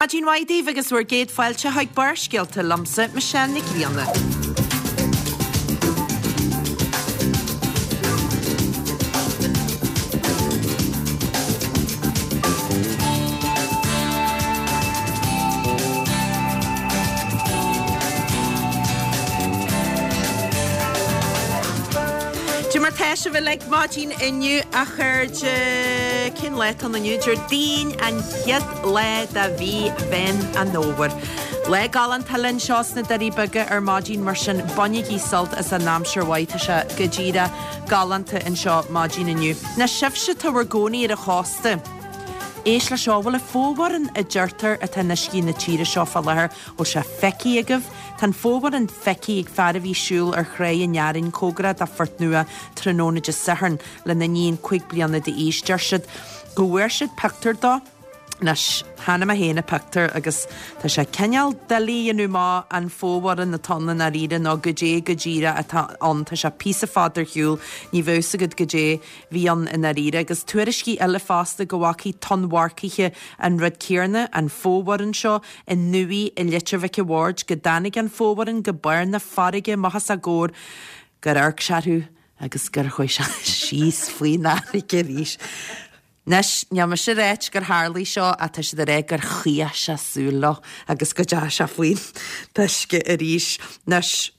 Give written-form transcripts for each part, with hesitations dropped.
Maidin mhaith daoibh agus bhur gcéad fáilte chuig Barrscéalta liomsa, Michelle Nic Grianna. Cad é mar tá sibh uilig maidin inniu a chairde? Cén lá atá ann inniu? Déardaoin an chéad lá de mhí Mheán an Fhómhair. Lá galánta linn anseo sna Doirí Beaga ar maidin mar sin bainigí sult as an aimsir mhaith, tá sé go díreach galánta anseo maidin inniu. Anois sibhse atá bhur gcónaí ar an chósta, éist leis seo, bhfuil an fomhuireán a deirtear atá in uiscí na tíre seo fá láthair, bhfuil sé feicthe agaibh? Tá an fomhuireán feicthe ag fear a bhí ag siúl ar thráigh an Fhearainn cóngarach do Phort Nua tráthnóna Dé Sathairn lena iníon 5 bliana d'aois. Deir siad go bhfuair siad pictiúr dó. Anois, chonaic mé féin an pictiúr agus tá sé cineál doiligh a dhéanamh amach an fomhuireán atá ann i ndáiríre nó goidé go díreach atá ann. Tá sé píosa fada ar shiúl, ní bheadh fhios agat goidé bhí ann i ndáiríre. Agus tuairiscí eile fosta go bhfacaí tonnmharcaithe an rud céarna, an fomhuireán seo, i nDumhaigh i Leitir Mhic a' Bhaird, go dtáinig an fomhuireán go barr na farraige amach os a gcomhair, gur amharc sé orthu agus gur chuaigh sé síos faoin fharraige arís. Anois, níl mise ag ráit gur tharlaigh seo ach tá siad ag rá gur chaoch sé súil leo agus go dteachaigh sé faoin uisce arís. Anois,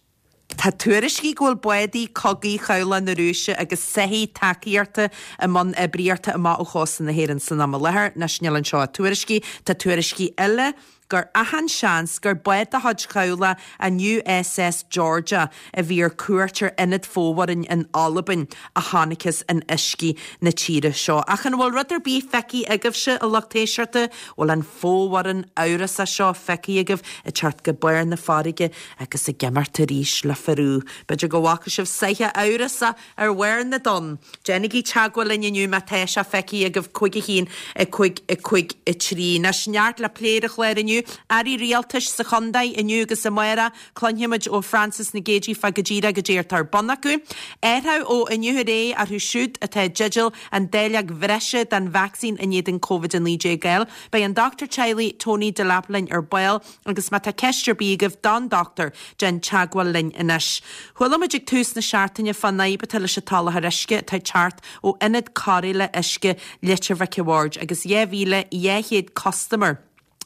tá tuairiscí go bhfuil bádaí cogaidh Chabhlach na Rúise agus soithí tacaíochta i mbun oibríochta amach ó chósta na hÉireann san am i láthair. Anois, níl anseo ach tuairiscí. Tá tuairiscí eile gur achan seans gur bád de chuid chabhlach an USS Georgia a bhí ar cuairt ar ionad fomhuireáin in Albain a chonacthas in uiscí na tíre seo. Ach an bhfuil rud ar bith feicthe agaibhse, a lucht éisteachta? Bhfuil an fomhuireán amhrasach seo feicthe agaibh ag teacht go barr na farraige agus ag imeacht arís le frú? B'fhéidir go bhfaca sibh soitheach amhrasach Ar bharr na dtonn. Déanaigí teagmháil linn inniu má tá sé feicthe agaibh 5 1 5 5 3. Anois, neart le plé ar an chlár inniu. Airí Rialtais sa chontae inniu agus amárach. Cluinfimid ó Frances Nic Géadaigh fá go díreach goidé atá ar bun acu. Athrú ó inniu ar aghaidh orthu siúd atá i dteideal an dáileog bhreise den vacsaín in éadan Covid-19 a fháil. Beidh an Dochtúir Teaghlaigh Tony Delap linn ar ball. Agus má tá ceist ar bith agaibh don dochtúir, déan teagmháil linn anois. Chuala muid ag tús na seachtaine fán fhadhb atá leis an tsoláthar uisce atá ag teacht ó Ionad Cóireála Uisce Leitir Mhic a' Bhaird agus 2,200 custaiméir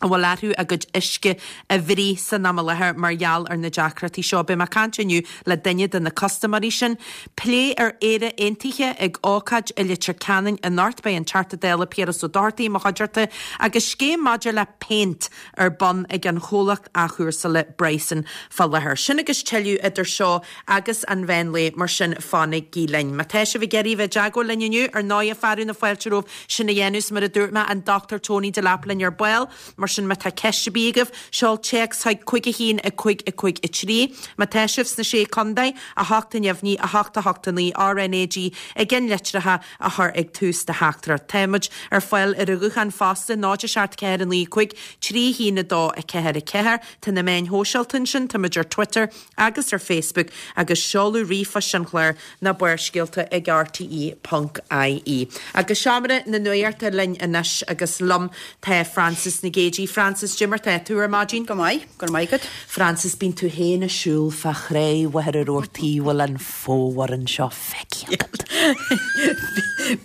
a bhfuil orthu a gcuid uisce a bhruith san am i láthair mar gheall ar na deacrachtaí seo. Beidh mé ag caint inniu le duine de na custaiméirí sin. Plé ar Éire Aontaithe ag ócáid i Leitir Ceanainn anocht. Beidh an Teachta Dála Piaras Ó Dochartaigh i mo chuideachta agus scéim maidir le péint ar bun ag an chomhlacht athchúrsála Bryson fá láthair. Sin agus tuilleadh idir seo agus an mheán lae, mar sin fanaigí linn. Má tá sibh ag iarraidh bheith i dteagmháil linn inniu, ar ndóighe fearadh na fáilte romhaibh sin a dhéanamh 's mar a dúirt mé, an Dr Tony Delap linn ar ball, mar sin má tá ceist ar bith agaibh, seol téacs chuig 5 1 5 5 3. Má tá sibh sna Sé Contae, 8 neamhní, 8 8 9, RNAG i gceannlitreacha, a chur ag tús do theachtaireacht. Táimid ar fáil ar an ghuthán fosta, 0 7 4 9 5 3 1 2 4 4. Tá na meáin shóisialta ansin, táimid ar Twitter agus ar Facebook agus seoladh ríomhphoist an chláir ná Barrscéalta ag rte ponc ie. Agus seomra na nuachta linn anois agus liom tá Frances Nic Géadaigh. Frances, cad é mar tá tú ar maidin? Go maith, go raibh maith agat. Frances, bíonn tú féin ag siúl fá thráigh Mhachaire Rabhartaigh, bhfuil an fomhuireán seo feicthe agat?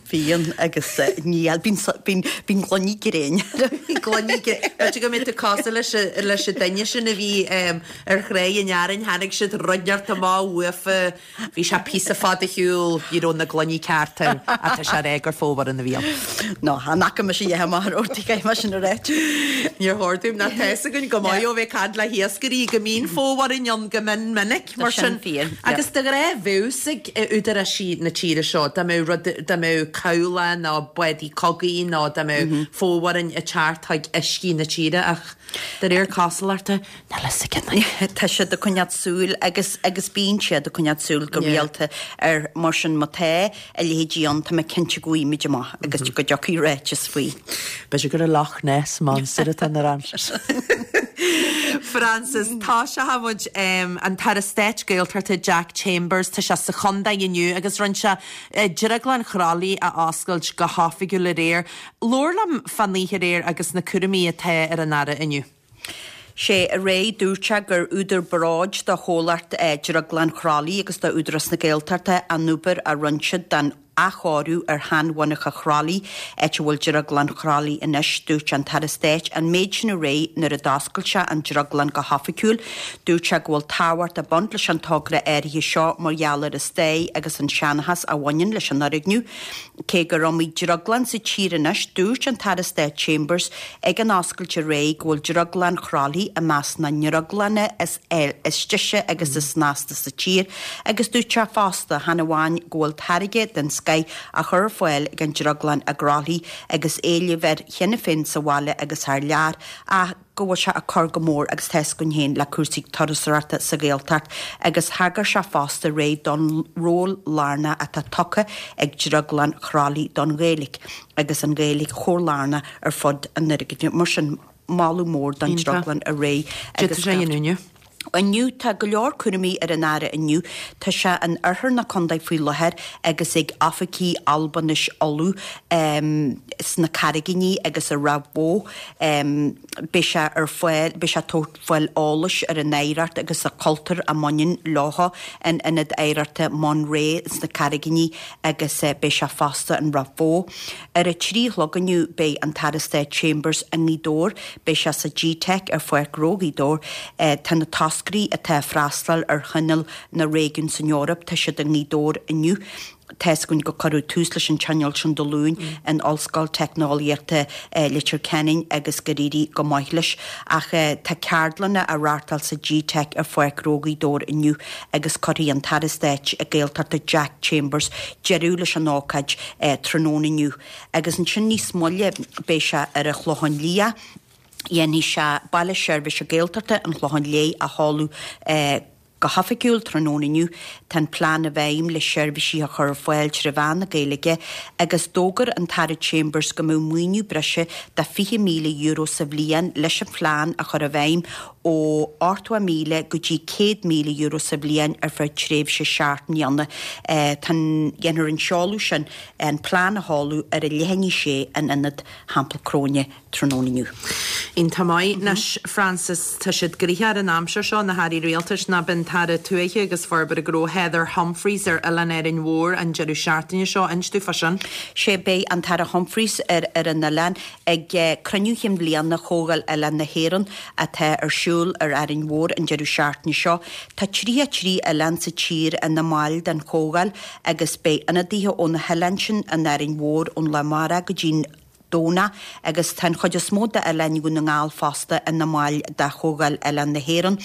Bíonn agus níl, bíonn, bíonn, bíonn gloiní gréine. Bíonn gloiní gréine. B'fhéidir go mbeidh tú cosúil leis, leis an duine sin a bhí ar thráigh an Fhearainn, tháinig siad rud inteacht amach uafa, bhí sé píosa fada ar shiúl, ní raibh na gloiní ceart air, ach tá sé ag rá gur fomhuireán a bhí ann. No, chan fhaca mise a dhath amach ar Rabhartaigh, caithfidh mé sin a ráit. Níor chóir dúinn, ná tá fhios againn go maith ó bheith ag caint le hiascairí go mbíonn fomhuireáin ann go mion minic. Mar sin, agus de ghnáth bheadh fhios ag údaráisí na tíre seo dá mbeadh rud, dá mbeadh cabhlach nó bádaí cogaidh nó dá mbeadh fomhuireáin ag teacht chuig uiscí na tíre ach de réir cosúlachta, níl fhios ag aon duine. Tá siad ag coinneáil súil agus agus bíonn siad ag coinneáil súil go rialta ar mar sin má tá a leithéidí ann tá mé cinnte go bhfaighimid amach agus go dtiocfaidh ráiteas faoi. B'fhéidir gur an Loch Ness Monster atá in ar aimsir. Frances, Tosóidh muid an tAire Stáit Gaeltachta Jack Chambers, tá sé sa chontae inniu agus rinne sé Drioglann Chroithlí a oscailt go hoifigiúil aréir. Labhair liom fán oíche aréir agus na cúraimí atá ar an Aire inniu. Sé aréir dúirt sé gur údar bróid do chomhlacht Drioglann Chroithlí agus do Údarás na Gaeltachta an obair a rinne siad don athchóiriú ar sheanmhonarcha Chroithlí, áit a bhfuil Drioglann Chroithlí anois. Dúirt an tAire Stáit an méid sin aréir nuair a d'oscail sé an drioglann go hoifigiúil. Dúirt sé go bhfuil tábhacht ag baint leis an togra áirithe seo mar gheall ar an stair agus an seanchas a bhaineann leis an fhoirgneamh. Cé gur iomaí drioglann sa tír anois, dúirt an tAire Stáit Chambers ag an oscailt aréir go bhfuil Drioglann Chroithlí i measc na ndrioglanna is deise agus is snasta sa tír agus dúirt sé fosta, chan amháin go bhfuil táirge den scoith á chur ar fáil ag an drioglann i gCroithlí agus éileamh air cheana féin sa bhaile agus thar lear ach go bhfuil sé ag cur go mór agus tá 'fhios againn féin le cúrsaí turasóireachta sa Ghaeltacht agus thagair sé fosta aréir don ról lárnach atá tugtha ag Drioglann Chroithlí don Ghaeilge agus an Ghaeilge chomh lárnach ar fud an fhoirgnimh. Mar sin, moladh mór don Drioglann aréir agus. Cad é inniu. Inniu, tá go leor cúraimí ar an Aire inniu. Tá sé in oirthear na contae faoi láthair agus ag oifigí Albainis Uladh sna Carraigíní agus i Ráth Bhoth. Beidh sé ar fáil, beidh sé ag tabhairt fáil eolais ar an oidhreacht agus an cultúr a mbaineann leo in Ionad Oidhreachta Munray sna Carraigíní agus beidh sé fosta in Ráth Bhoth. Ar a 3 a chlog inniu beidh an tAire Stáit Chambers i nGaoth Dobhair. Beidh sé sa Gteic ar Pháirc Ghnó Ghaoth Dobhair. Tá na toscairí atá ag freastal ar Thionól na Réigiún san Eoraip, tá siad i nGaoth Dobhair inniu. Tá 'fhios againn gur cuireadh tús leis an tionól sin Dé Luain in Ollscoil Teicneolaíochta Leitir Ceanainn agus gur éirigh go maith leis. Ach tá ceardlanna á reáchtáil sa Gteic ar Pháirc Ghnó Ghaoth Dobhair inniu agus cuirfidh an tAire Stáit Gaeltachta Jack Chambers deireadh leis an ócáid tráthnóna inniu. Agus ansin níos moille beidh sé ar an Chlochán Liath, dhéanfaidh sé Baile Seirbhíse Gaeltachta an Chlocháin Léith a sheoladh go hoifigiúil tráthnóna inniu. Tá an plean i bhfeidhm le seirbhísí a chur ar fáil tré mheán na Gaeilge agus d'fhógair an tAire Chambers go mbeadh maoiniú breise de €20,000 sa bhliain leis an phlean a chur i bhfeidhm ó €80,000 go dtí €100,000 sa bhliain ar feadh tréimhse seacht mbliana. Tá an, dhéanfar an seoladh sin, an plean a sheoladh ar a leath i ndiaidh a sé in Ionad Theampall Cróine tráthnóna inniu. Iontach maith. Anois, Frances, tá siad gnoitheach ar an aimsir seo, na hairí rialtais, nó beidh an tAire Tuaithe agus Forbartha Gnó Heather Humphreys ar Oileán Árainn Mhór an deireadh seachtaine seo. Inis dúinn fá sin. Sé, beidh an tAire Humphreys ar ar an oileán ag cruinniú chinn bhliana Chomhdháil Oileán na hÉireann atá ar siúl ar Árainn Mhór an deireadh seachtaine seo. Tá 33 oileán sa tír ina mbaill den Chomhdháil agus beidh ionadaithe ó na hoileáin sin in Árainn Mhór ón lá amárach go dtí'n Domhnach agus tá an chuid is mó d'oileáin Dhún na nGall fosta ina mbaill de Chomhdháil Oileán na hÉireann.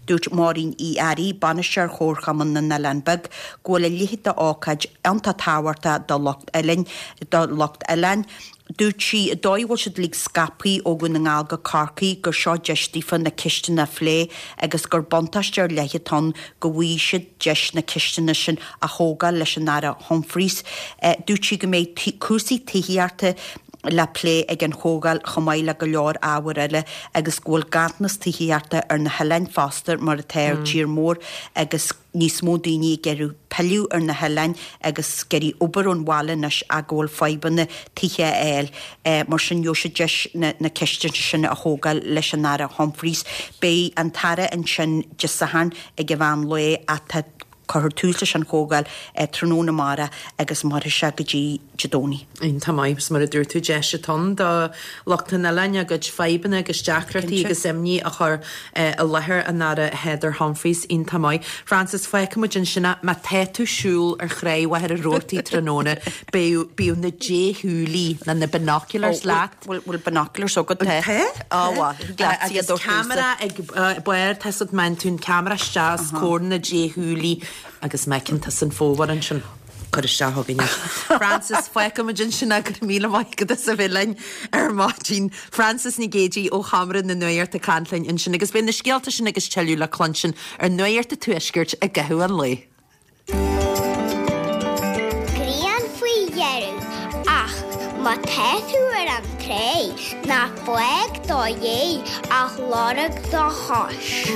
Dúirt Máirín Uí Fhearraigh, Bainisteoir Chomharchumann na nOileán Beag, go bhfuil a leithéid d'ócáid iontach tábhachtach do lucht oileáin, do lucht oileáin. Dúirt sí, an dóigh a bhfuil siad uilig scaipthe ó Dhún na nGall go Corcaigh, gur seo deis daofa na ceisteanna a phlé agus gur buntáiste ar leith atá ann go bhfaighidh siad deis na ceisteanna sin a thógáil leis an Aire Humphreys. Dúirt sí go mbeidh cúrsaí tithíochta le plé ag an chomhdháil chomh maith le go leor ábhar eile agus go bhfuil ganntanas tithíochta ar na hoileáin fosta mar atá ar tír mór agus níos mó daoine ag iarraidh pilleadh ar na hoileáin agus ag iarraidh obair ón bhaile anois ach go bhfuil fadhbanna tithe a fháil. Mar sin gheobhaidh siad deis na ceisteanna sin a thógáil leis an Aire Humphreys. Beidh an tAire ansin Dé Sathairn ag an mheán lae ach tá cuirfear tús leis an chomhdháil tráthnóna amárach agus mairfidh sé go dtí Dé Domhnaigh. Iontach maith, agus mar a dúirt tú, deis atá ann do lucht an oileáin a gcuid fadhbanna agus deacrachtaí agus imní a chur i láthair an Aire Heather Humphreys. Iontach maith. Frances, fágfaidh muid ansin é. Má tá tú ag siúl ar Thráigh Mhachaire Rabhartaigh tráthnóna, beidh, bíodh na déshúilí, nó na binoculars leat. Bhfuil binoculars agat? Tá. Á, mhaith. Leat iad ó Ceamara ag barr, tá 'fhios agat, má fhaigheann tú an ceamara isteach os comhair na déshúilí agus má fheiceann tusa an fómhar ansin. Cuir isteach chugainn é. Frances, fágfaidh muid ansin é, go raibh míle maith agat as a bheith linn ar maidin. Frances Nic Géadaigh ó Sheomra na Nuachta ag caint linn ansin agus beidh na scéalta sin agus tuilleadh le cluinstin ar Nuacht an Tuaiscirt i gcaitheamh an lae. Grian faoi dheireadh, ach má tá tú ar an. tréith, ná fág do dhéidh ach lorg do chois.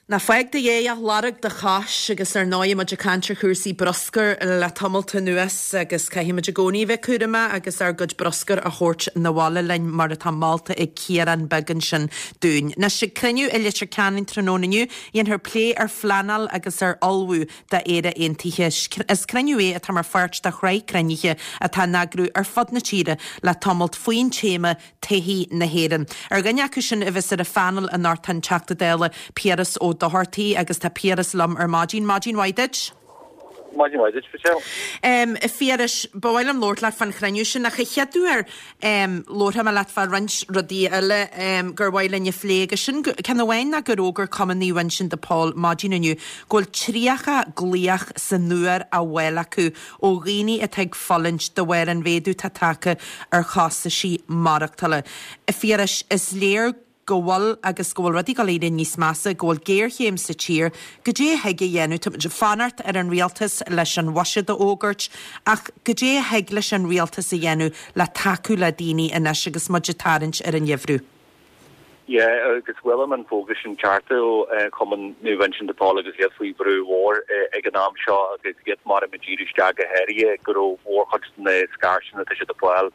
Ná fág do dhéidh ach lorg do chois agus ar ndóigh muid ag caint ar chúrsaí bruscair le tamalt anuas agus caithfidh muid i gcónaí a bheith cúramach agus ár gcuid bruscair a thabhairt 'na bhaile linn mar atá molta ag Ciarán beag ansin dúinn. Anois ag cruinniú i Leitir Ceanainn tráthnóna inniu dhéanfar plé ar phleanáil agus ar ullmhú d'Éire Aontaithe. Is cruinniú é atá mar pháirt de shraith cruinnithe atá á n-eagrú ar fud na tíre le tamalt faoin téama 'Todhchaí na hÉireann'. Ar dhuine acu sin a bheas ar an phainéal anocht tá an Teachta Dála Piaras Ó Dochartaigh agus tá Piaras liom ar maidin. Maidin mhaith duit. Maidin mhaith duit, Michelle. A Phiarais, ba mhaith liom labhairt leat fán chruinniú sin ach a chéaduair labharfaidh mé leat fá roinnt rudaí eile gur mhaith linn a phlé agus sin, ceann amháin ná gur fhógair Cumann Naomh Uinseann de Pól maidin inniu go bhfuil 30 glaoch san uair á bhfáil acu ó dhaoine atá ag fulaingt de bharr an mhéadú atá tagtha ar chostaisí maireachtála. A Phiarais, is léir go bhfuil agus go bhfuil rudaí ag dul éirí níos measa, go bhfuil géarchéim sa tír. Goidé a thig a dhéanamh? Tá muid ag fanacht ar an rialtas leis an bhuiséad a fhógairt ach goidé a thig leis an rialtas a dhéanamh le tacú le daoine anois agus muid ag tarraingt ar an gheimhreadh? Yeah, agus chuala mé an fógra sin ceart ó Chumann Naomh Uinseann de Pól agus iad faoi bhrú mhór ag an am seo agus iad mar a d'iarr isteach go háirithe go raibh mórchuid de na scairteanna atá siad ag fáil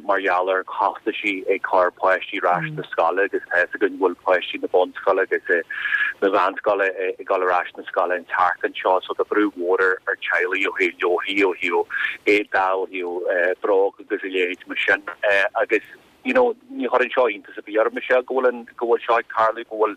mar gheall ar chostaisí ag cur páistí ar ais na scoile agus tá fhios againn go bhfuil páistí na bunscoile agus na mheánscoile ag dul ar ais na scoile an tseachtain seo so tá brú mhór ar teaghlaigh ó thaobh leabharthaí, ó thaobh éadaí, ó thaobh bróg agus a leithéid mar sin agus you know ní chuireann seo iontas ar bith orm Michelle go bhfuil an go bhfuil seo ag tarlú go bhfuil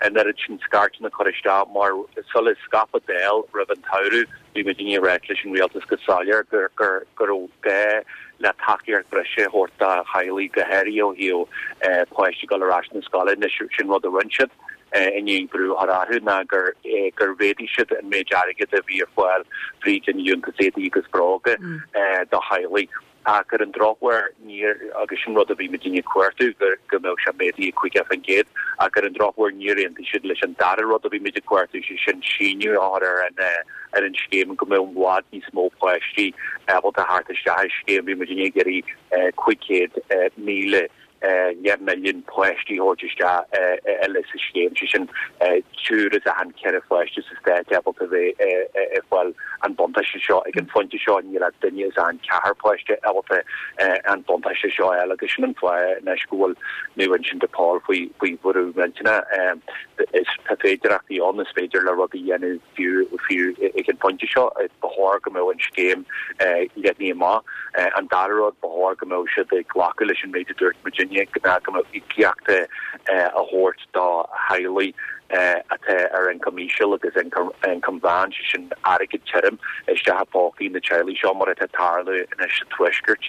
an oiread sin scairteanna curtha isteach mar sula scaipeadh an Dáil roimh an tsamhradh Bhí muidinne ag ráit leis an rialtas go soiléir go raibh gá le tacaíocht bhreise a thabhairt do theaghlaigh, go háirithe ó thaobh páistí dul ar ais na scoile. Anois, sin rud a rinne siad i ndiaidh brú a chur orthu ná gur mhéadaigh siad an méid airgid a bhí ar fáil fríd an Liúntas Éadaí agus Bróga do theaghlaigh. Ach ar an drochuair, níor, agus sin rud a bhí muidinne ag cuartú, go mbeadh sé méadaithe 50%, ach ar an drochuair níor aontaigh siad leis an dara rud a bhí muid ag cuartú, sé sin síneadh a chur ar an ar an scéim go mbeadh i bhfad níos mó páistí ábalta theacht isteach ar scéim. Bhí muidinne ag iarraidh 500,000 leathmhilliún páistí a thabhairt isteach eile sa scéim, sé sin triúr as achan cheithre pháiste sa stát ábalta a bheith ag fáil an buntáiste seo. Ag an phointe seo níl ach duine as achan ceathrar páiste ábalta an buntáiste seo a fháil agus sin an fáth anois go bhfuil Naomh Uinseann de Pól faoi bhrú millteanach. Tá féidearthachtaí ann, is féidir le rudaí a dhéanamh fiú fiú ag an phointe seo, ba chóir go mbeadh an scéim leathnaithe amach. An dara rud, ba chóir go mbeadh siad ag glacadh leis an méid a dúirt muidinne, ná go mbeadh íocaíocht á thabhairt do theaghlaigh atá ar ioncam íseal agus ioncam mheán, sé sin airgead tirim isteach i bpócaí na teaghlaigh seo, mar atá ag tarlú anois sa Tuaisceart.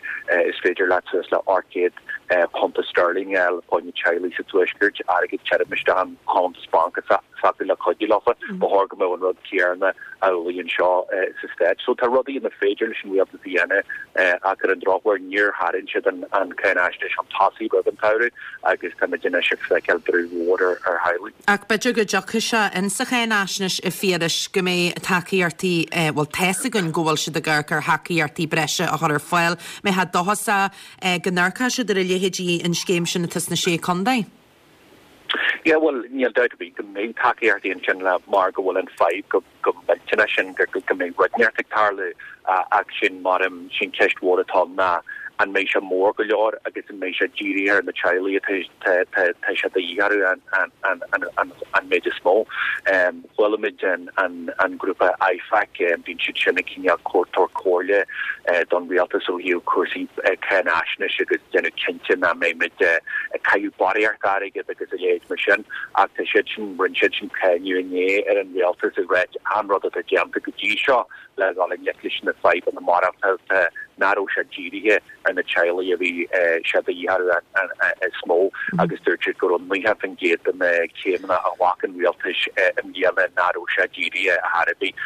Is féidir leat suas le £800 sterling a fháil fá choinne teaghlaigh sa Tuaisceart, airgead tirim isteach in cuntas bainc s'acu le cuidiú leofa. Ba chóir go mbeadh an rud céanna amhlaidh anseo sa Stát. So tá rudaí inar féidir leis an rialtas a dhéanamh ach ar an drochuair níor tharraing siad an cáinaisnéis chun tosaigh roimh an tsamhradh agus táimid anois ag feiceáil brú mhór ar theaghlaigh. Ach b'fhéidir go dtiocfaidh sé in sa cháinaisnéis a Phiarais go mbeidh tacaíochtaí, bhuel tá's againn go bhfuil siad ag amharc ar thacaíochtaí breise a chur ar fáil. Mbeifeá dóchasach go n-amharcfaidh siad ar a leithéidí an scéim sin atá sna Sé Contae? Yeah, bhuel, níl dabht ar bith go mbeidh tacaíochtaí ansin le mar go bhfuil an fadhb go go millteanach sin go go mbeidh rud inteacht ag tarlú ach sin mar em sin ceist mhór atá ann ná an mbeidh sé mór go leor agus an mbeidh sé dírithe ar na teaghlaigh atá tá tá tá sé de dhíth orthu an an an an an an méid is mó. Chuala muid an grúpa IFAC, bíonn siad sin ag cineál tabhairt comhairle don rialtas ó thaobh cúrsaí cáinaisnéis agus déanamh cinnte nach mbeidh muid ag caitheamh barraíocht airgid agus a leithéid mar sin. Ach tá siad sin, rinne siad sin cáineadh inné ar an rialtas ag ráit an rud atá déanta go dtí seo le dhul i ngleic leis na fadhbanna maireachtála nach raibh sé dírithe ar na teaghlaigh a bhí sé de dhíth orthu is mó agus dúirt siad go raibh 90% de na céimeanna a ghlac an rialtas i mbliana nach raibh sé dírithe ar chor ar bith.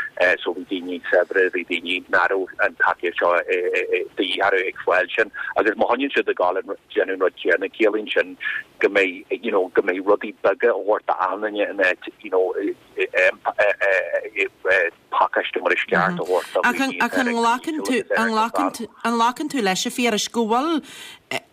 So bhí daoine saibhre, bhí daoine nach raibh an tacaíocht seo de dhíth orthu ag fáil sin agus má choinníonn siad ag dul ag déanamh an rud céanna ciallaíonn sin go mbeidh you know go mbeidh rudaí beaga á thabhairt d'achan duine in áit you know. pacáiste mar is ceart a thabhairt do Ach dhaoine ach atá an ar nglacann ioncam tú íseal agus ar an ioncam nglacann meán. tú an nglacann tú leis a Phiarais go bhfuil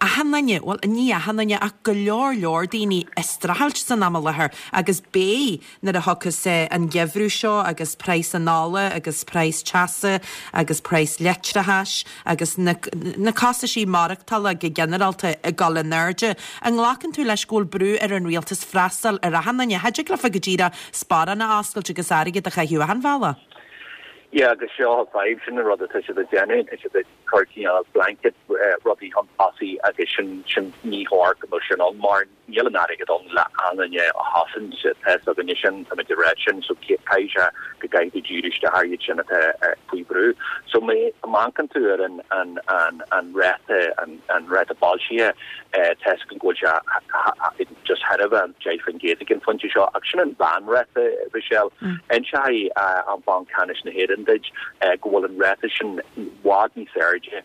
achan duine, bhuel ní achan duine ach go leor leor daoine ag streachailt san am i láthair agus beidh nuair a thiocfas an geimhreadh seo agus praghas an ola agus praghas teasa agus praghas leictreachais agus na na costaisí maireachtála go ginearálta ag dul in airde. An nglacann tú leis go bhfuil brú ar an rialtas freastal ar achan duine? Cha dtig leofa go díreach sparán a oscailt agus airgead a chaitheamh achan bhealach. Yeah agus seo an fadhb, sin an rud atá siad ag déanamh, tá siad ag cur cineál blanket rudaí chun tosaigh agus sin sin ní chóir go mbeadh sin ann mar Níl an airgead ann le achan duine a chosaint, tá fhios againne sin, táimid ag rá sin, so caithfidh sé go gcaithfidh tú díriú isteach ar iad sin atá faoi bhrú. So má amharcann tú ar an an an an ráta an an ráta boilscithe, tá fhios againn go bhfuil sé just thar a bheith 10% ag an phointe seo, ach sin an mheánráta, Michelle. Inseoidh an Banc Ceannais na hÉireann duit go bhfuil an ráta sin i bhfad níos airde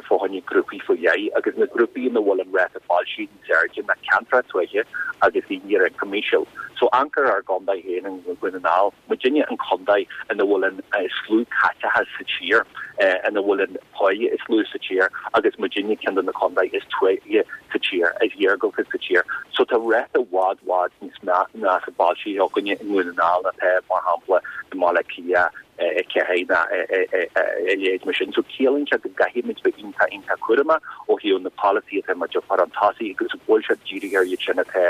fá choinne grúpaí faoi leith agus na grúpaí ina bhfuil an ráta boilscithe níos airde ná ceantracha tuaithe agus daoine ar ioncam íseal. So amharc ar ár gcontae féin i nDún na nGall, muidinne an contae ina bhfuil an is lú caiteachas sa tír, ina bhfuil an páighe is lú sa tír agus muidinne ceann de na contaetha is tuaithe sa tír, is iargúlta sa tír. So tá ráta i bhfad bhfad níos measa boilscithe againne i nDún na nGall ná atá mar shampla i mBaile Átha Cliath, 4 ná a leithéid mar sin. So ciallaíonn sé go gcaithfimid bheith iontach iontach cúramach ó thaobh na polasaí atá muid a chur chun tosaigh agus go bhfuil sé dírithe ar iad sin atá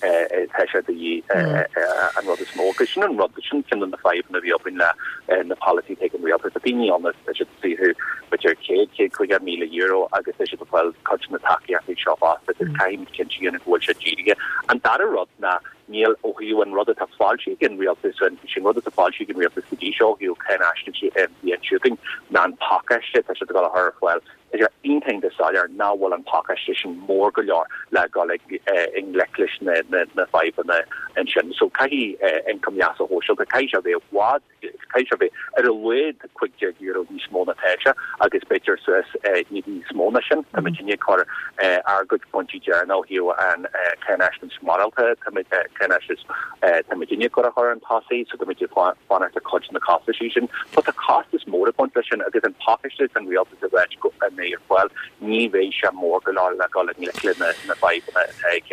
atá sé de dhíth an rud is mó. Agus sin an rud, sin ceann de na fadhbanna a bhí againn le na polasaí atá ag an rialtas. Tá daoine ann tá siad ag saothrú b'fhéidir 100, 150,000 euro agus tá siad ag fáil cuid de na tacaíochtaí seo fosta agus caithfimid cinnte a dhéanamh go bhfuil sé dírithe. An dara rud ná Níl, ó thaobh an rud atá foilsithe ag an rialtas, sé an rud atá foilsithe ag an rialtas go dtí seo ó thaobh cáinaisnéis an bhliain seo chugainn ná an pacáiste atá siad ag dul a chur ar fáil. Tá sé iontach iontach soiléir nach bhfuil an pacáiste sin mór go leor le dhul i ngleic leis na fadhbanna ansin. So caithfidh ioncam leasa shóisialta, caithfidh sé a bheith i bhfad Caithfidh sé a bheith ar a laghad €15 níos mó ná atá sé agus b'fhéidir suas níos mó ná sin. Tá muid ag cur ár gcuid pointí deireanacha ó thaobh an cáinaisnéis maireachtála, tá muid cáinaisnéis tá muid ag cur a chur chun tosaigh so tá muid ag fanacht ar cuid de na costaisí sin. But tá costas mór ag baint leis sin agus an pacáiste atá an rialtas ag ráit go mbeidh ar fáil ní bheidh sé mór go leor le dhul i ngleic le na fadhbanna atá ag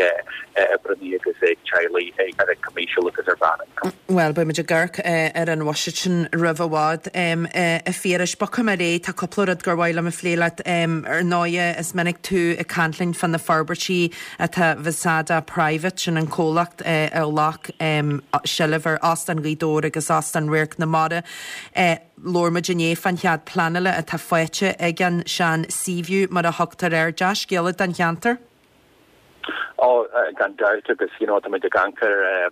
oibreannaí agus ag teaghlaigh ar ioncam íseal agus ar mheánioncam. Bhuel, beidh muid ag amharc ar an bhuiséad sin roimh i bhfad. A Phiarais, bogfaidh mé ar aghaidh, tá cúpla rud gur mhaith liom a phlé leat. Ar ndóighe, is minic tú ag caint linn fá na forbairtí atá Vasada Private, sin an comhlacht a ghlac seilbh ar Óstán Ghaoth Dobhair agus Óstán Radharc na Mara. Labhair muid inné fán chead pleanála atá faighte ag an sean Seaview, mar a thugtar air. Dea-scéala don cheantar. Ó, gan dabht, agus you know táimid ag amharc ar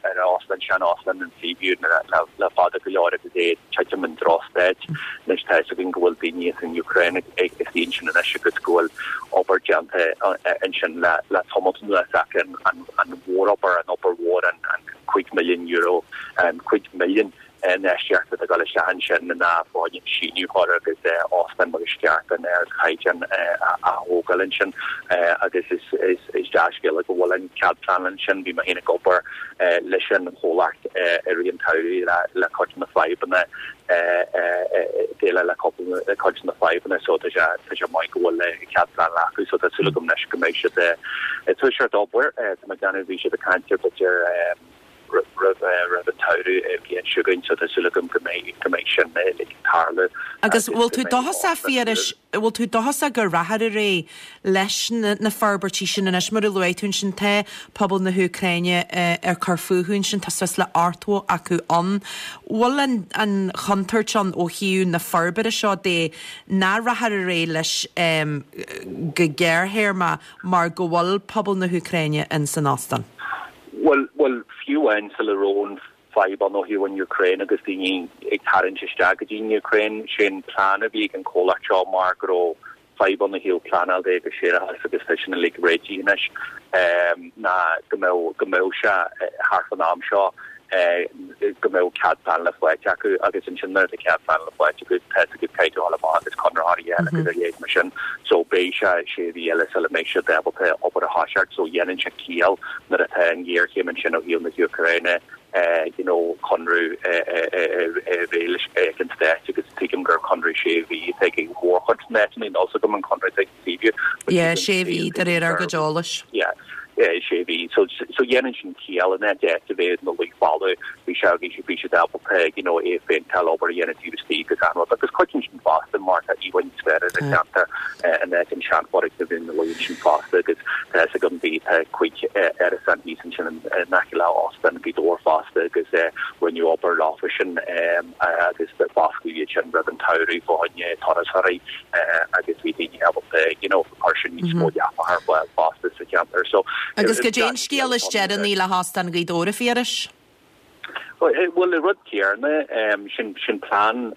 ar óstlann, sean-óstlann an Seaview le fada go leor agus é ag titim i ndrochstaid. Anois tá fhios againn go bhfuil daoine as an Úcráin ag suí ansin anois agus go bhfuil obair déanta ansin le le tamall anuas ach an an mhórobair, an obair mhór, an an €5 milliún, an 5 milliún infheistíocht atá ag dul isteach ansin ná fá choinne síneadh a chur agus óstán mar is ceart an ardchaighdeán a thógáil ansin agus is dea-scéala go bhfuil an cead pleanála ansin. Bhí mé féin ag obair leis an chomhlacht i rith an tsamhraidh le cuid de na fadhbanna déileáil le cuid de na fadhbanna so tá sé maith go bhfuil cead pleanála acu so tá súil agam anois go mbeidh siad ag toiseacht obair. Tá mé ag déanamh bhí siad ag caint ar b'fhéidir roimh an tsamhradh an bhliain seo chugainn so tá súil agam go mbeidh go mbeidh sin ag tarlú Agus bhfuil tú dóchasach a Phiarais, bhfuil tú dóchasach go rachfar ar aghaidh leis na forbairtí sin anois mar a luaigh tú ansin tá pobal na hÚcráine ag cur fúthu ansin, tá suas le 80 acu ann. Bhfuil an an chontúirt ann ó thaobh na forbartha seo de nach rachfar ar aghaidh leis go gearrthéarma mar go bhfuil pobal na hÚcráine in san óstán? Bhuel, bhuel, fiú amháin sula raibh an fadhb ann ó thaobh an Úcráin agus daoine ag tarraingt isteach go dtí an Úcráin, sé an plean a bhí ag an chomhlacht seo mar go raibh fadhb ann ó thaobh pleanáil de agus séarachas agus tá sin uilig réitithe anois, ná go mbeadh, go mbeadh sé thart fán am seo go mbeadh cead pleanála faighte acu agus ansin nuair atá cead pleanála faighte acu tá fhios agat caithfidh tú a dhul amach agus conraitheoirí a fháil agus a leithéid mar sin so beidh sé sé mhí eile sula mbeidh siad ábalta obair a thoiseacht so dhéanann sé ciall nuair atá an ghéarchéim ansin ó thaobh na hÚcráine. You know conradh a bheith leis ag an Stát agus tuigim gur conradh sé mhí atá ag an mhórchuid de na háiteanna, níl a fhios agam an conradh atá ag Seaview. Yeah, sé mhí de réir ár gcuid eolais. Yeah, sé mhí. So so dhéanann sin ciall in áit áit a bheith ina luí folamh, bhí sé bhí bhí siad ábalta you know é a phéinteáil, obair a dhéanamh taobh istigh agus an rud. Agus cuidíonn sin fosta mar tá íomhá níos fearr ar an cheantar in áit an seanfhoirgneamh ina luí ansin fosta agus tá fhios agam bhí tá cuid árasán thíos ansin in aice le Óstán Ghaoth Dobhair fosta agus rinneadh obair leofa sin agus foscladh iad sin roimh an tsamhradh fá choinne turasóirí agus bhí daoine ábalta you know chuir sin níos mó leapacha ar fáil fosta sa cheantar so Agus goidé an scéal is deireanaí le hÓstán Ghaoth Dobhair, a Phiarais? Bhuel, an rud céanna, sin sin plean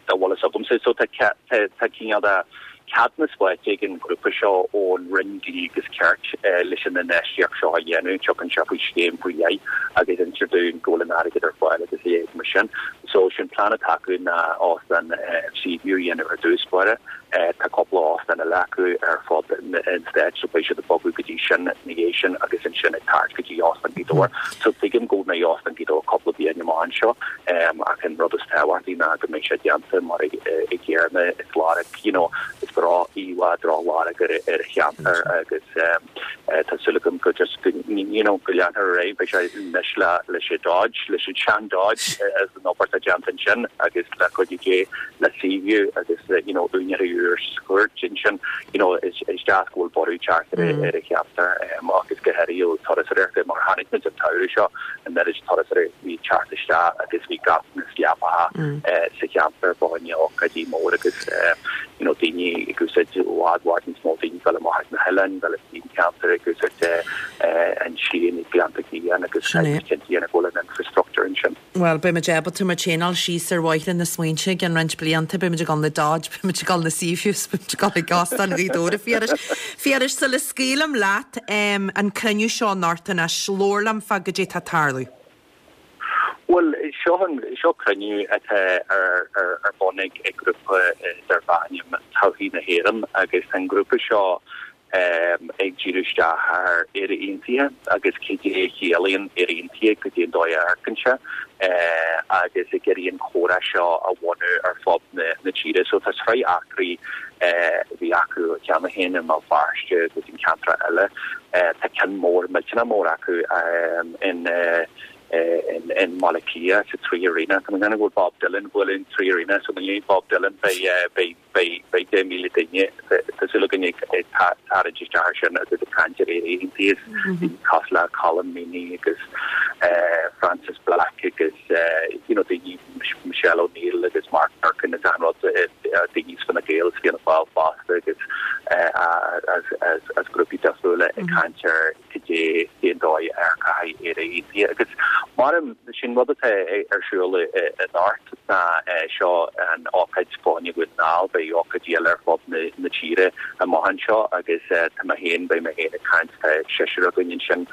dá bhfuil fhios agamsa. So tá tá cineál de ceadúnas faighte ag an ghrúpa seo ón Roinn Dlí agus Cirt leis an infheistíocht seo a dhéanamh. Tiocfaidh sé faoi scéim faoi leith agus instear dúinn go bhfuil an airgead ar fáil agus a leithéid mar sin. So sin plean atá acu ná óstán Seaview a dhéanamh ar dtús báire. Tá cúpla óstán eile acu ar fud an stáit so beidh siad ag bogadh go dtí sin ina dhiaidh sin agus ansin ag tabhairt go dtí Óstán Ghaoth Dobhair. So tuigim go mbeidh Óstán Ghaoth Dobhair cúpla bliain amach anseo ach an rud is tábhachtaí ná go mbeidh sé déanta mar i gcéarna is lorg you know is droch-íomhá drochlorg ar ar an cheantar agus Tá súil agam go just go you know go leanfar ar aghaidh. Beidh sé anois le leis an Dodge, leis an sean Dodge as an obair atá déanta ansin agus le cuidiú Dé le Seaview agus you know úinéirí úr sa chúirt ansin. You know is is deas go bhfuil borradh teacht ar ar an cheantar agus go háirithe ó turasóireachta mar chonaic muid an tsamhradh seo an oiread turasóirí a bhí ag teacht isteach agus bhí ganntanas leapacha sa cheantar fá choinne ócáidí mór agus you know daoine ag úsáid i bhfad bhfad níos mó daoine ag dul amach ag na hoileáin, dul go dtí an ceantar ag úsáid an slí ag Gleannta Gliain agus Sin é. cinnte a dhéanamh go bhfuil an infrastructure ansin. Bhuel, beidh muid ábalta muid féin a fháil síos ar bhóithre na smaointe i gceann roinnt blianta, beidh muid ag dul na Dodge, beidh muid ag dul na Seaviews, beidh muid ag dul ag Óstán Ghaoth Dobhair, a Phiarais. Phiarais, sula scaoilim leat, an cruinniú seo anocht anois, labhair liom fá goidé tá ag tarlú. Bhuel, seo an, seo cruinniú atá ar, ar, ar bun ag, ag grúpa darb ainm Todhchaí na hÉireann agus tá an grúpa seo ag díriú isteach ar Éire Aontaithe agus cad é a chiallaíonn Éire Aontaithe, cad é an dóigh a amharcann sé agus ag iarraidh an comhrá seo a bhunú ar fud na, na tíre. So tá sraith eachtraí a bhí acu cheana féin i mBéal Feirste agus in ceantracha eile. Tá ceann mór, millteanach mór acu in in mBaile Átha Cliath sa Three Arena. Tá mé ag déanamh go bhfuil Bob Dylan ag bualadh in Three Arena so i ndiaidh Bob Dylan beidh beidh beidh beidh 10,000 duine tá súil againn ag ag tarraingt isteach air sin agus ag caint ar Éire Aontaithe daoine cosúil le Colm Meaney agus Frances Black agus you know daoine Michelle O'Neill agus Mark Durkan is an rud daoine as Fine Gael is Fianna Fáil fosta agus as grúpaí difriúla ag caint ar cad é cén dóigh a amharcfaidh Éire Aontaithe agus mar sin rud atá ar siúl anocht ná seo an ócáid fá choinne Dhún na nGall beidh ócáidí eile ar fud na tíre amach anseo agus tá mé féin beidh mé féin ag caint tá seisear againn ansin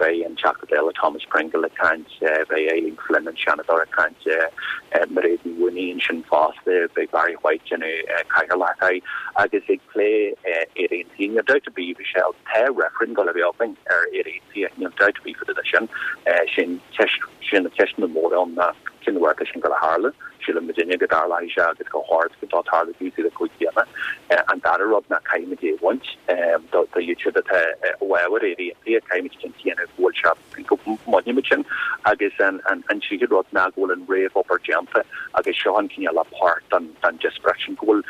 beidh an Teachta Dála Thomas Pringle ag caint Beidh Eileen Flynn, an Seanadóir, ag caint, Mairéad Ní Mhaonaigh ansin fosta, beidh Barry White ag déanamh cathaoirleacht air agus ag plé Éire Aontaithe. Níl dabht ar bith, Michelle, tá reifreann ag dul a bheith againn ar Éire Aontaithe, níl dabht ar bith fá dtaobh de sin. Sin ceist, sin na ceisteanna móra ann ná cén uair atá sin ag dul a tharlú? Síleann muidinne go dtarlóidh sé agus go hard go dá tarlú taobh istigh de chúig bliana. An dara rud ná caithfimid é a bhaint do iad siúd atá i bhfabhar Éire Aontaithe, caithfimid cinnte a dhéanamh go bhfuil sé go mbainfimid sin agus an tríú rud ná go bhfuil an réamhobair déanta agus seo an cineál páirt den díospóireacht sin, go bhfuil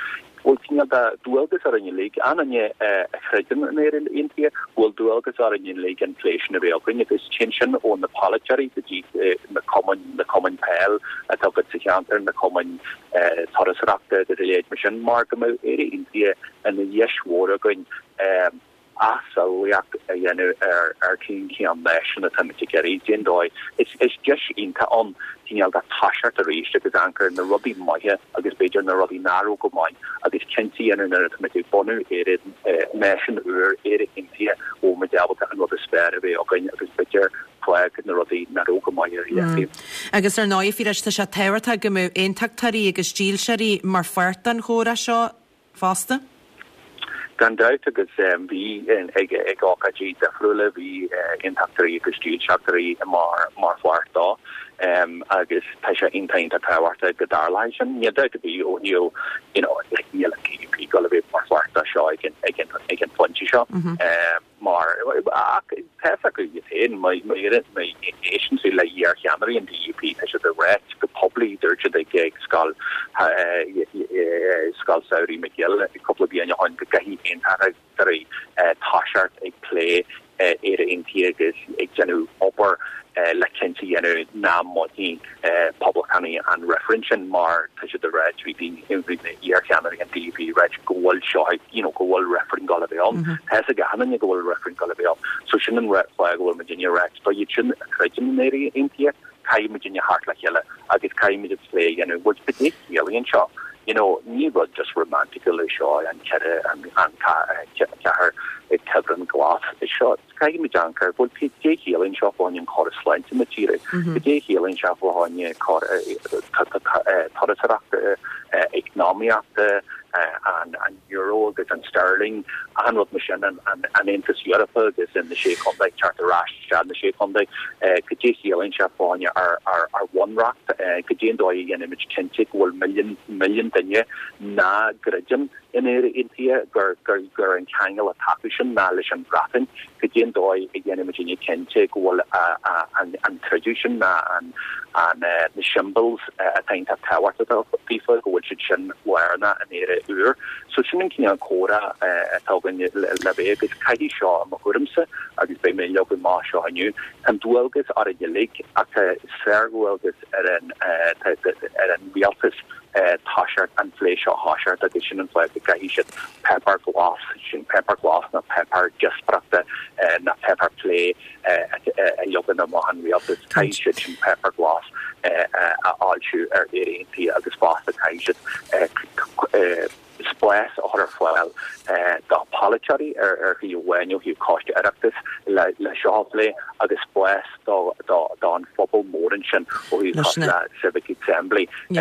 go bhfuil cineál de dualgas orainn uilig, aon duine a chreideann in Éire Aontaithe, go bhfuil dualgas orainn uilig an plé sin a bheith againn agus téann sin ó na polaiteoirí go dtí na cumainn, na cumainn peil atá agat sa cheantar, na cumainn turasóireachta agus a leithéid mar sin, mar go mbeadh Éire Aontaithe ina dheis mhór againn. athshamhlaíocht a dhéanamh ar ar cén cineál náisiún atáimid ag iarraidh, cén dóigh. Is is deis iontach ann cineál de toiseacht arís agus amharc ar na rudaí maithe agus b'fhéidir na rudaí nach raibh go maith agus cinnte a dhéanamh nuair atáimid ag bunú Éire, náisiún úr, Éire Aontaithe, go bhfuil muid ábalta an rud is fearr a bheith againn agus b'fhéidir fág na rudaí nach raibh go maith ar leataobh. Agus ar ndóigh, a Phiarais, tá sé tábhachtach go mbeadh aontachtóirí agus dílseoirí mar pháirt den chomhrá seo. fosta. Gan dabht, agus bhí ag ag ócáidí difriúla, bhí aontachtóirí agus dílseachtóirí mar mar pháirt dó agus tá sé iontach iontach tábhachtach go dtarlóidh sin. Níl dabht ar bith ó thaobh you know like níl an DUP ag dul a bheith mar pháirt dó seo ag an ag an ag an phointe seo. Mar ach tá fhios acu iad féin, má éisteann tú le iarcheannairí an DUP, tá siad ag ráit go poiblí, dúirt siad ag scoil Scoil Samhraidh McGill cúpla bliain ó shin go gcaithfidh aontachtóirí toiseacht ag plé Éire Aontaithe agus ag déanamh obair le cinnte a dhéanamh nach mbainfidh poblachtánaigh an reifreann sin mar tá siad ag ráit, bhí daoine, bhí na iarcheannairí an DUP ag ráit go bhfuil seo ag, you know, go bhfuil reifreann ag dul a bheith ann. Tá fhios ag achan duine go bhfuil reifreann ag dul a bheith ann. So sin an fáth go bhfuil muidinne ag ráit do iad sin a chreideann in Éire Aontaithe, caithfidh muidinne theacht le chéile agus caithfidh muid an plé a dhéanamh. Bhuel, cad é ciallaíonn seo? You know, ní rud just romanticúil é seo, an ceithre, an ceathair cuibhreann glas é seo. Caithfidh muid amharc ar, bhuel, cad é chiallaíonn seo fá choinne an córas sláinte na tíre? Cad é chiallaíonn sé fá choinne turasóireachta, eacnamaíochta, an euro agus an sterling, achan rud mar sin, an Aontas Eorpach agus na Sé Chontae, teacht ar ais isteach na Sé Chontae, cad é chiallaíonn sé fá choinne ár bhunreacht, cad é an dóigh a dhéanaimid cinnte go bhfuil milliún duine nach gcreideann in Éire Aontaithe gur gur an ceangal atá acu sin ná leis an Bhreatain, cad é an dóigh a dhéanaimidinne cinnte go bhfuil an creideamh sin ná an na symbols atá iontach tábhachtach daofa, go bhfuil siad sin lárnach in Éire úr. So sin an cineál comhrá atá againn le bheith agus caithfidh seo, i mo thuairimse, agus beidh mé ag leagan amach seo inniu, tá an dualgas orainn uilig ach tá sárdhualgas ar an ar an rialtas toiseacht an phlé seo a thoiseacht agus sin an fáth go gcaithfidh siad páipéar glas, sin páipéar glas nó páipéar díospóireachta nó páipéar plé a leagan amach an rialtas, caithfidh siad sin páipéar glas a fhoilsiú ar Éire Aontaithe agus fosta caithfidh siad spás a chur ar fáil do pholaiteoirí ar thaobh amháin ó thaobh Coiste Oireachtais le seo a phlé agus spás don phobal mór ansin ó thaobh le Civic Assembly le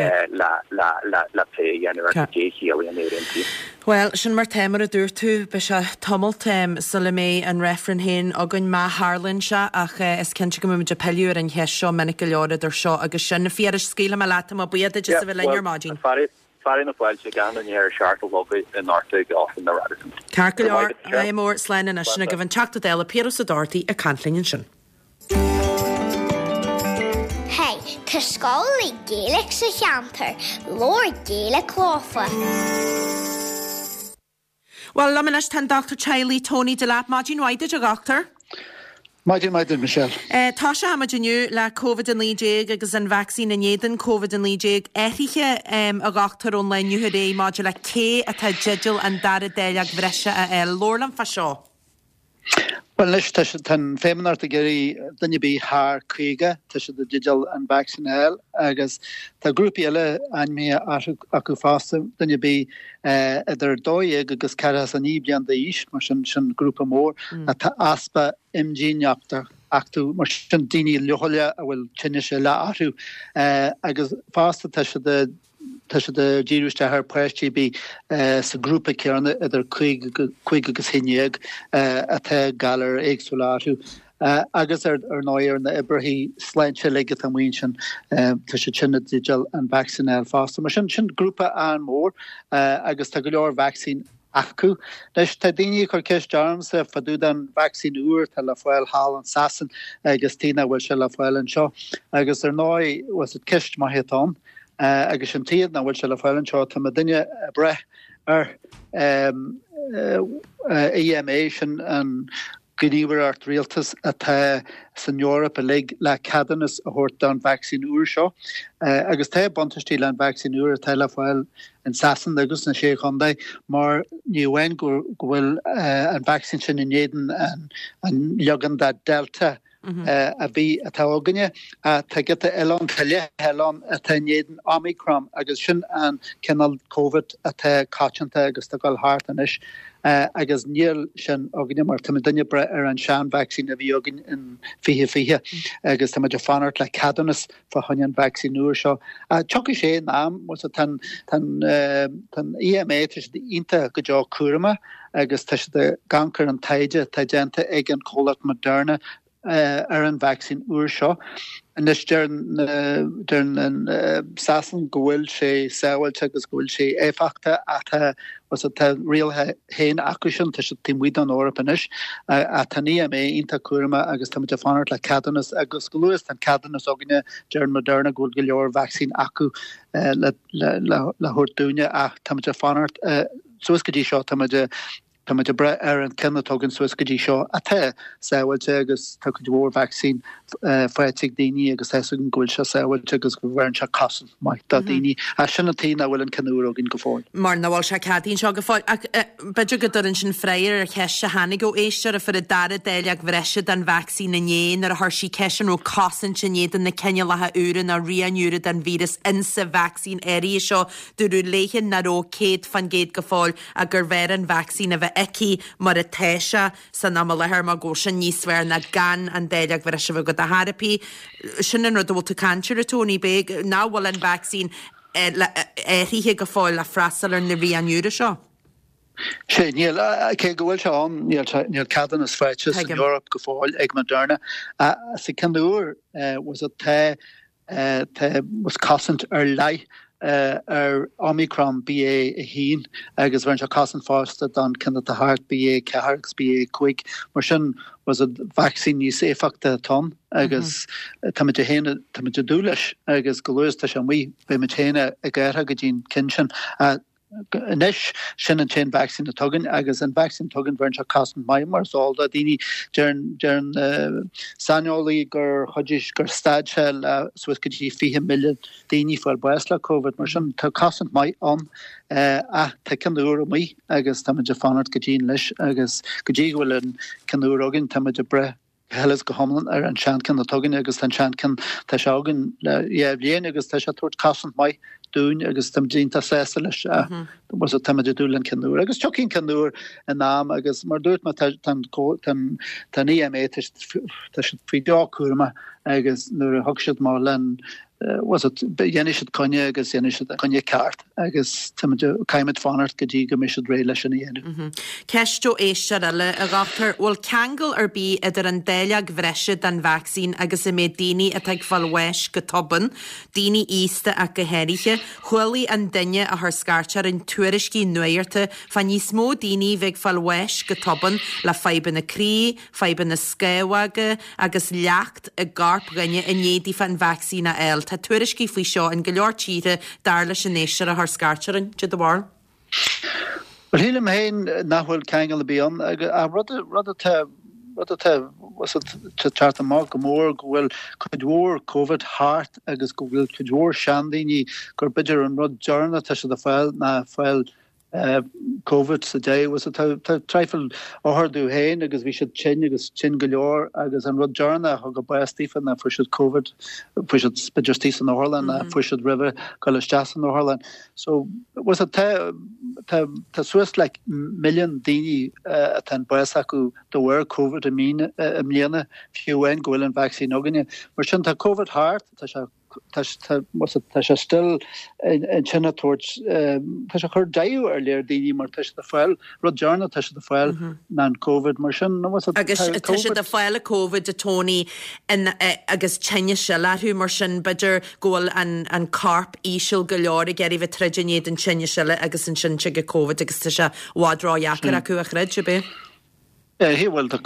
plé a dhéanamh ar cad é a chiallaíonn Éire Aontaithe. Bhuel, sin mar tá, mar a dúirt tú, beidh sé tamalt sula mbeidh an reifreann féin againn, má tharlaíonn sé, ach is cinnte go mbeimid ag pilleadh ar an cheist seo minic go leor idir seo agus sin. A Phiarais, scaoilfidh mé leat, tá mé buíoch duit as a bheith linn ar maidin. Fearadh na fáilte ag achan duine ar a seacht a chlog anocht ag Óstán na Radisson. Ceart go leor, ádh mór, slán anois. Sin agaibh an Teachta Dála Piaras Ó Dochartaigh ag caint linn ansin. Hey, tá scoil le Gaeilge sa cheantar, labhair Gaeilge leofa. Bhuel, liom anois tá an Dochtúir Teaghlaigh Tony Delap. Maidin mhaith duit, a Dhochtúir. Maidin mhaith duit, Michelle. Toiseochaimid inniu le Covid-19 agus an vacsaín in éadan Covid-19. Athruithe, a Dhochtúir, ón lá inniu ar aghaidh maidir le cé atá i dteideal an dara dáileog bhreise a fháil. Labhair liom fá seo. Bhuel anois, tá siad, tá an Feidhmeannacht ag iarraidh duine ar bith thar 50, tá siad i dteideal an vacsaín a fháil agus tá grúpaí eile ainmnithe acu fosta, duine ar bith idir 12 agus 49 bliain d'aois, mar sin, sin grúpa mór, atá easpa imdhíonachta acu, mar sin daoine leochaileacha a bhfuil tinnis eile orthu agus fosta tá siad i Tá siad ag díriú isteach ar pháistí ar bith sa ghrúpa céanna idir 5 agus 11 atá galair éagsúla orthu agus ar ndóigh ar na oibrithe sláinte uilig atá amuigh ansin, tá siad sin i dteideal an vacsaín a fháil fosta. Mar sin, sin grúpa an-mhór agus tá go leor vacsaín acu. Anois, tá daoine ag cur ceist ormsa fá dtaobh den vacsaín úr atá le fáil thall in Sasain agus tuige nach bhfuil sé le fáil anseo. Agus ar ndóigh, bhuel, ceist maith atá ann. Agus an tuige nach bhfuil sé le fáil anseo, tá muidinne ag brath ar EMA, sin an ghníomhaireacht rialtais atá san Eoraip uilig le ceadúnas a thabhairt don vacsaín úr seo. Agus tá buntáistí le an vacsaín úr atá le fáil in Sasain agus sna Sé Chontae mar ní amháin go bhfuil an vacsaín sin in éadan an leagan de Delta. a bhí, atá againne. Tá giota eile ann, tá leath eile ann atá in éadan Omicron agus sin an cineál Covid atá coitianta agus atá ag dul thart anois agus níl sin againne mar táimidne ag brath ar an sean-vacsaín a bhí againn in 2020 agus táimid ag fanacht le ceadúnas fá choinne an vacsaín úr seo. Tiocfaidh sé in am, tá an EMA, tá siad iontach go deo cúramach agus tá siad ag amharc ar an taighde atá déanta ag an chomhlacht Moderna ar an vacsaín úr seo. Anois deir Sasain go bhfuil sé sábháilte agus go bhfuil sé éifeachtach ach tá tá rialacha féin acu sin, tá siad taobh amuigh den Eoraip anois ach tá an EMA iontach cúramach agus táimid ag fanacht le ceadúnas agus go luath is tá an ceadúnas againne, deir Moderna go bhfuil go leor vacsaín acu le thabhairt dúinne ach táimid ag fanacht suas go dtí seo táimid Táimid ag brath ar an ceann atá againn suas go dtí seo atá sábháilte agus tá cuid mhór vacsaín faighte ag daoine agus tá a fhios againn go bhfuil sé sábháilte agus go bheireann sé cosaint maith do dhaoine. Ach sin an tuige nach bhfuil an ceann úr againn go fóill. Mar nach bhfuil sé ceadaithe anseo go fóill. Ach b'fhéidir go dtabharann sin freagra ar cheist a tháinig ó éisteoir a fuair an dara dáileog bhreise den vacsaín inné nuair a chuir sí ceist an raibh cosaint in éadan na cineálacha úra nó riain úra den víreas insa vacsaín áirithe seo. Dúradh léithe nach raibh 100% go fóill ach gurbh fhearr an vacsaín a bheith aici mar atá sé san am i láthair mar go bhfuil sin níos fearr ná gan an dáileog bhreise a bheith agat ar chor ar bith. Sin an rud a bhfuil tú ag caint air, a Tony, b'é nach bhfuil an vacsaín athraithe go fóill le freastal ar na riain úra seo. Sea, níl, cé go bhfuil sé ann, níl, níl ceadúnas faighte san Eoraip go fóill ag Moderna. Sa ceann úr, was it, tá Tá cosaint ar leith ar Omicron BA1 agus bheireann sé cosaint fosta don ceann atá thart BA4 agus BA5. Mar sin was it vacsaín níos éifeachta atá ann agus táimid féin táimid ag dúil leis agus go luath is tá sé amuigh beimid féin ag athrú go dtí an ceann sin. Anois, sin an t-aon vacsaín atá againn agus an vacsaín atá againn bheireann sé cosaint maith mar is eol do daoine. Deireann, deireann na saineolaí gur chuidigh, gur stad sé le suas go dtí 20 milliún daoine fáil bás le Covid. Mar sin, tá cosaint maith ann ach tá ceann úr amuigh agus táimid ag fanacht go dian leis agus go dtí go bhfuil an ceann úr againn táimid ag brath go huile is go hiomlán ar an seancheann atá againn agus tá an seancheann, tá sé againn le dhá bhliain agus tá sé ag tabhairt cosaint maith dúinn agus táimid iontach sásta leis agus táimid ag dúil le an ceann úr. Agus tiocfaidh an ceann úr in am agus mar a dúirt mé tá tá tá an EMA tá siad faoi deo cúramach agus nuair a thug siad amach len was it dhéanfaidh siad coinne agus dhéanfaidh siad an coinne ceart agus táimid caithfimid fanacht go dtí go mbeidh siad réidh leis sin a dhéanamh. Ceist ó éisteoir eile, a dhochtúir, bhfuil ceangal ar bith idir an dáileog bhreise den vacsaín agus an méid daoine atá ag fáil bháis go tobann, daoine aosta ach go háirithe? Chualaidh an duine a chuir scairt orainn tuairiscí nuachta fá níos mó daoine bheith ag fáil bháis go tobann le fadhbanna croí, fadhbanna scamhóga agus leacht i gcorp dhuine i ndiaidh daofa an vacsaín a fháil. Tá tuairiscí faoi seo in go leor tíortha, dar leis an éisteoir a chuir scairt orainn. Cad é do bharúil? Bhuel, shílim féin nach bhfuil ceangal ar bith ann. Ach rud, rud atá, rud atá, ag teacht amach go mór go bhfuil cuid mhór Covid thart agus go bhfuil cuid mhór seandaoine gur b'fhéidir an rud deireanach atá siad ag fáil ná fáil Covid sa deireadh. Tá tá traidhfil othar domh féin agus bhí siad tinn agus tinn go leor agus an rud deireanach a thug a bás daofa ná fuair siad Covid, fuair siad b'fhéidir istigh san otharlann ná fuair siad roimhe dul isteach san otharlann. So was it tá tá tá suas le milliún daoine atá an bás acu de bharr Covid i mbliana fiú amháin go bhfuil an vacsaín againne. Mar sin tá Covid thart, tá sé Tá tá sé still ansin ag tabhairt, tá sé ag cur daofa ar leor daoine mar tá siad ag fáil, rud deireanach tá siad ag fáil ná an Covid mar sin. Agus tá siad ag fáil an Covid a Tony agus tinneas eile orthu mar sin b'fhéidir go bhfuil an corp íseal go leor ag iarraidh bheith troid in éadan tinnis eile agus ansin tig an Covid agus tá sé i bhfad ródheacair acu a throid, ab é? Eh, bhuel, tá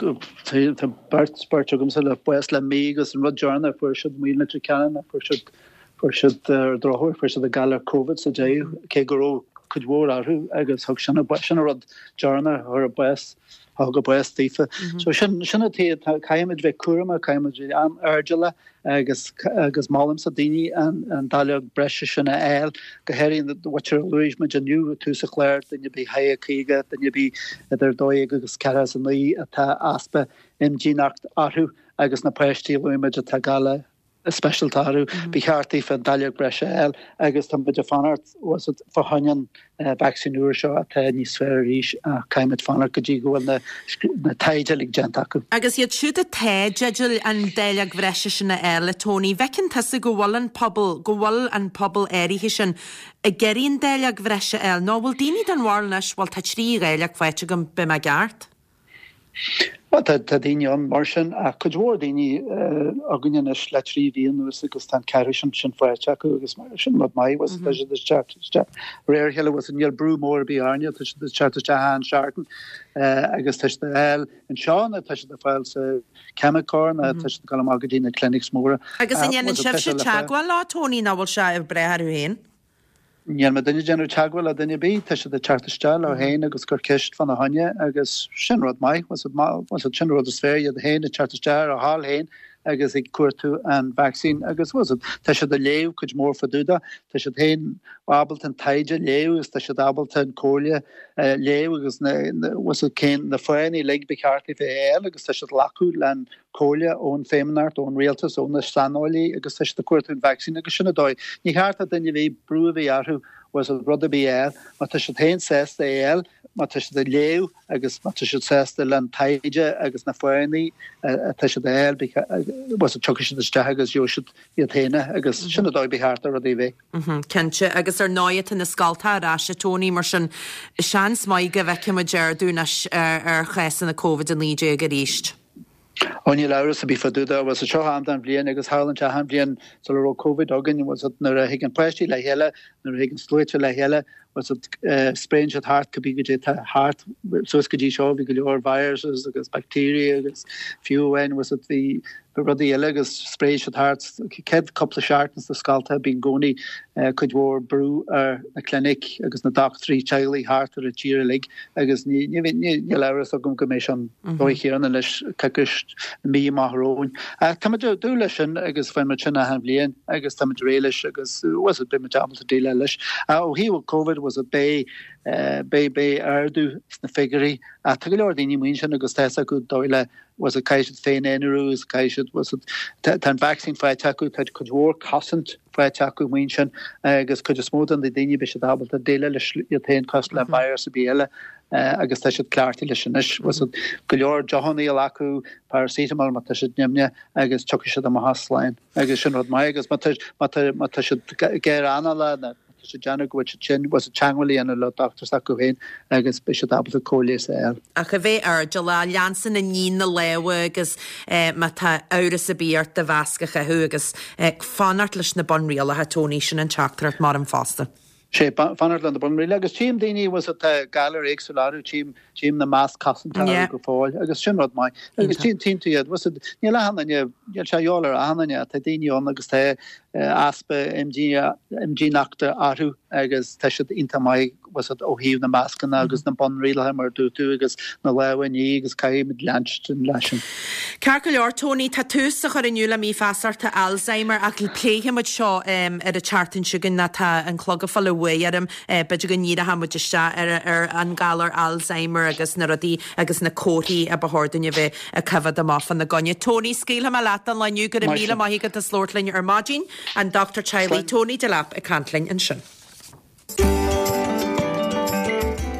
beirt, beirt agamsa le bás le mí agus an rud deireanach fuair siad amuigh in Leitir Ceanainn ná fuair siad, fuair siad ar an drochuair, fuair siad an galar Covid sa deireadh, cé go raibh cuid mhór orthu agus thug sin, sin an rud deireanach a chuir a bás, a thug a bás daofa. So sin, sin an tuige, caithfimid bheith cúramach, caithfimid bheith an-airdeallach agus agus molaimse daoine an dáileog breise sin a fháil, go háirithe an mhuintir a luaigh muid inniu i tús an chláir, duine ar bith thar 50, duine ar bith idir 12 agus 49 atá easpa. imdhíonacht orthu agus na páistí a luaigh muid atá galar speisialta orthu, ba cheart daofa an dáileog breise a fháil agus tá muid ag fanacht fá choinne an vacsaín úr seo atá níos fearr arís ach caithfidh muid fanacht go dtí go bhfuil na taighde uilig déanta acu. Agus iad siúd atá i dteideal an dáileog bhreise sin a fháil, a Tony, bhfeiceann tusa go bhfuil an pobal, go bhfuil an pobal áirithe sin ag iarraidh an dáileog bhreise a fháil nó an bhfuil daoine den bharúil anois, bhuel tá 3 dháileog faighte agam, beidh mé i gceart? Bhuel, tá daoine ann mar sin, ach cuid mhór daoine againn anois le 3 mhí anuas agus tá an ceathrú sin sin faighte acu agus sin rud maith, bhuel, tá siad ag teacht isteach de réir a chéile, bhuel, níl brú mór ar bith orainne, tá siad ag teacht isteach achan seachtain agus tá siad ag fáil anseo nó tá siad ag fáil sa Ceimiceoir nó tá siad ag dul amach go dtí na clinics móra. Agus an ndéanann sibhse teagmháil leo, Tony, nó bhfuil sé ag brath orthu féin? Níl muidinne ag déanamh teagmháil le duine ar bith, tá siad ag teacht isteach leo féin agus ag cur ceist fána choinne agus sin rud maith, bhuel sin rud is fearr, iad féin ag teacht isteach ar a thoil féin agus ag cuartú an vacsaín agus bhuel tá siad ag léamh cuid mhór fá dtaobh de, tá siad féin ábalta an taighde a léamh agus tá siad ábalta an comhairle a léamh agus na, bhuel cén na fáthanna uilig ba cheart daofa é a fháil agus tá siad ag glacadh len comhairle ón Feidhmeannacht, ón Rialtas, ó na saineolaí agus tá siad ag cuartú an vacsaín agus sin an dóigh. Ní cheart do duine ar bith brú a bheith orthu bhuel rud ar bith a fháil. Má tá siad féin sásta é a fháil, má tá siad ag léamh agus má tá siad sásta len taighde agus na fáthanna atá siad a fháil, bhuel tiocfaidh siad isteach agus gheobhaidh siad iad féin é agus sin an dóigh ba cheart do rudaí a bheith. Cinnte, agus ar ndóigh tá na scoltacha ar ais, a Tony, mar sin seans maith go bhfeicfidh muid ardú anois ar chásanna Covid-19 arís. Ó níl amhras ar bith fá dtaobh de, bhuel seo am den bhliain agus tharlaíonn sé achan bhliain sula raibh Covid againn, bhuel nuair a thigeann páistí le chéile, nuair a thigeann sluaite le chéile, bhuel spréann siad thart cibé goidé atá thart, suas go dtí seo bhí go leor viruses agus bacteria agus fiú amháin bhuel bhí rudaí eile agus spréigh siad thart céad cúpla seachtain sna scoltacha bíonn i gcónaí cuid mhór brú ar na clinic agus na dochtúirí teaghlaigh thart ar an tír uilig agus níl amhras agam go mbeidh sé an dóigh chéanna leis coicís mí amach romhainn. Ach táimid ag dúil leis sin agus faigheann muid sin achan bhliain agus táimid réidh leis agus bhuel beidh muid ábalta déileáil leis. Ach ó thaobh Covid bhuel beidh beidh beidh ardú sna figiúirí ach tá go leor daoine amuigh ansin agus tá fhios acu dóigh le bhuel caithfidh siad féin-aonarú agus caithfidh siad bhuel tá an vacsaín faighte acu, tá cuid mhór cosaint faighte acu amuigh ansin agus cuid is mó de na daoine beidh siad ábalta déileáil leis iad féin cosúil le virus ar bith eile agus tá siad cleachtaithe leis anois. Bhuel go leor deochanna a ól acu, paracetamol má tá siad nimhneach agus tiocfaidh siad amach as slán agus sin rud maith agus má tá má tá má tá siad géar anála nó Tá siad ag déanamh go bhfuil siad tinn, bhuel teagmháil a dhéanamh le dochtúir s'acu féin agus beidh siad ábalta cóir leighis a fháil. Ach a bheith airdeallach, leanstan ag ní na lámha agus má tá amhras ar bith ort do mhasc a chaitheamh agus fanacht leis na bunrialacha, Tony, sin an teachtaireacht mar fosta. Sé, fanacht le na bunrialacha agus tchím daoine, bhuel tá galair éagsúla orthu, tchím, tchím na masc cosanta orthu go fóill agus sin rud maith. Agus tchíonn tú iad, bhuel níl achan duine, níl sé a dhíobháil ar achan duine, tá daoine ann agus tá easpa imdhíonachta orthu agus tá siad iontach maith ó thaobh na mascanna agus na bunrialacha mar a dúirt tú agus na lámha a ní agus caithfimid leanstan leis sin. Ceart go leor Tony, tá tús á chur inniu le mí feasachta Alzheimer ach pléifidh muid seo ar an tseachtain seo chugainn nó tá an clog ag fáil an bhuaidh orm. B'fhéidir go ndíreoidh muid isteach ar an galar Alzheimer agus na rudaí agus na comharthaí a ba chóir dúinn a bheith ag coimhéad amach fána gcoinne. Tony, scaoilfidh mé leat don lá inniu. Go raibh míle maith agat as labhairt linn ar maidin. An Dochtúir Teaghlaigh Tony Delap ag caint linn ansin.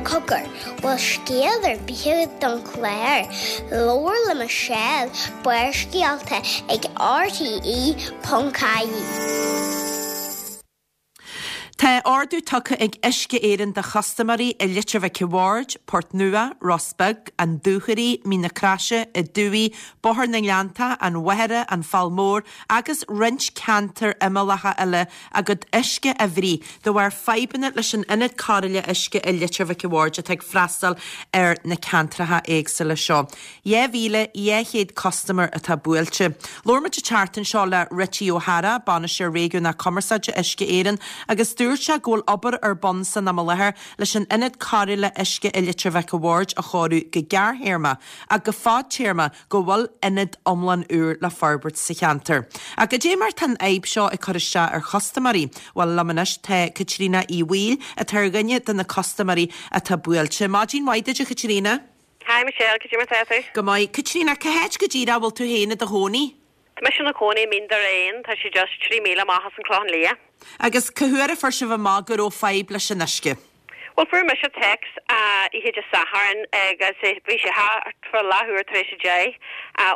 Cogar, bhfuil scéal ar bith agat don chlár? Labhair le Michelle, Barrscéalta ag RTE.ie. Tá ordú tugtha ag Uisce Éireann do chustaiméirí i Leitir Mhic a' Bhaird, Port Nua, Ros Beag, An Dúchoraidh, Mín na Croise, An Dumhaigh, Bóthar na nGleanntach, An Mhachaire, An Fál Mór agus roinnt ceantair imeallacha eile a gcuid uisce a bhruith de bharr fadhbanna leis an ionad cóireála uisce i Leitir Mhic a' Bhaird atá ag freastal ar na ceantracha éagsúla seo. 2,200 custaiméir atá buailte. Labhair muid an tseachtain seo le Richie O'Hara, Bainisteoir Réigiúnach Cumarsáide Uisce Éireann agus dúirt sé go bhfuil obair ar bun san am i láthair leis an ionad cóireála uisce i Leitir Mhic a' Bhaird a chóiriú go gearrthéarma ach go fadtéarma go bhfuil ionad iomlán úr le forbairt sa cheantar. Ach cad é mar tá an fhadhb seo ag cur isteach ar chustaiméirí? Bhuel, liom anois tá Caitríona Uí Bhaoill atá ar dhuine de na custaiméirí atá buailte. Maidin mhaith duit a Chaitríona. Hi Michelle, cad é mar tá tú? Go maith. Caitríona, cá háit go díreach a bhfuil tú féin i do chónaí? Tá mise i mo chónaí i Mín Doire Éann, tá sé just 3 míle amach as an Clochán Liath. Agus cá huair a fuair sibh amach go raibh fadhb leis an uisce? Bhuel fuair mise text oíche Dé Sathairn agus bhí sé thart fá leathuair tar éis a 10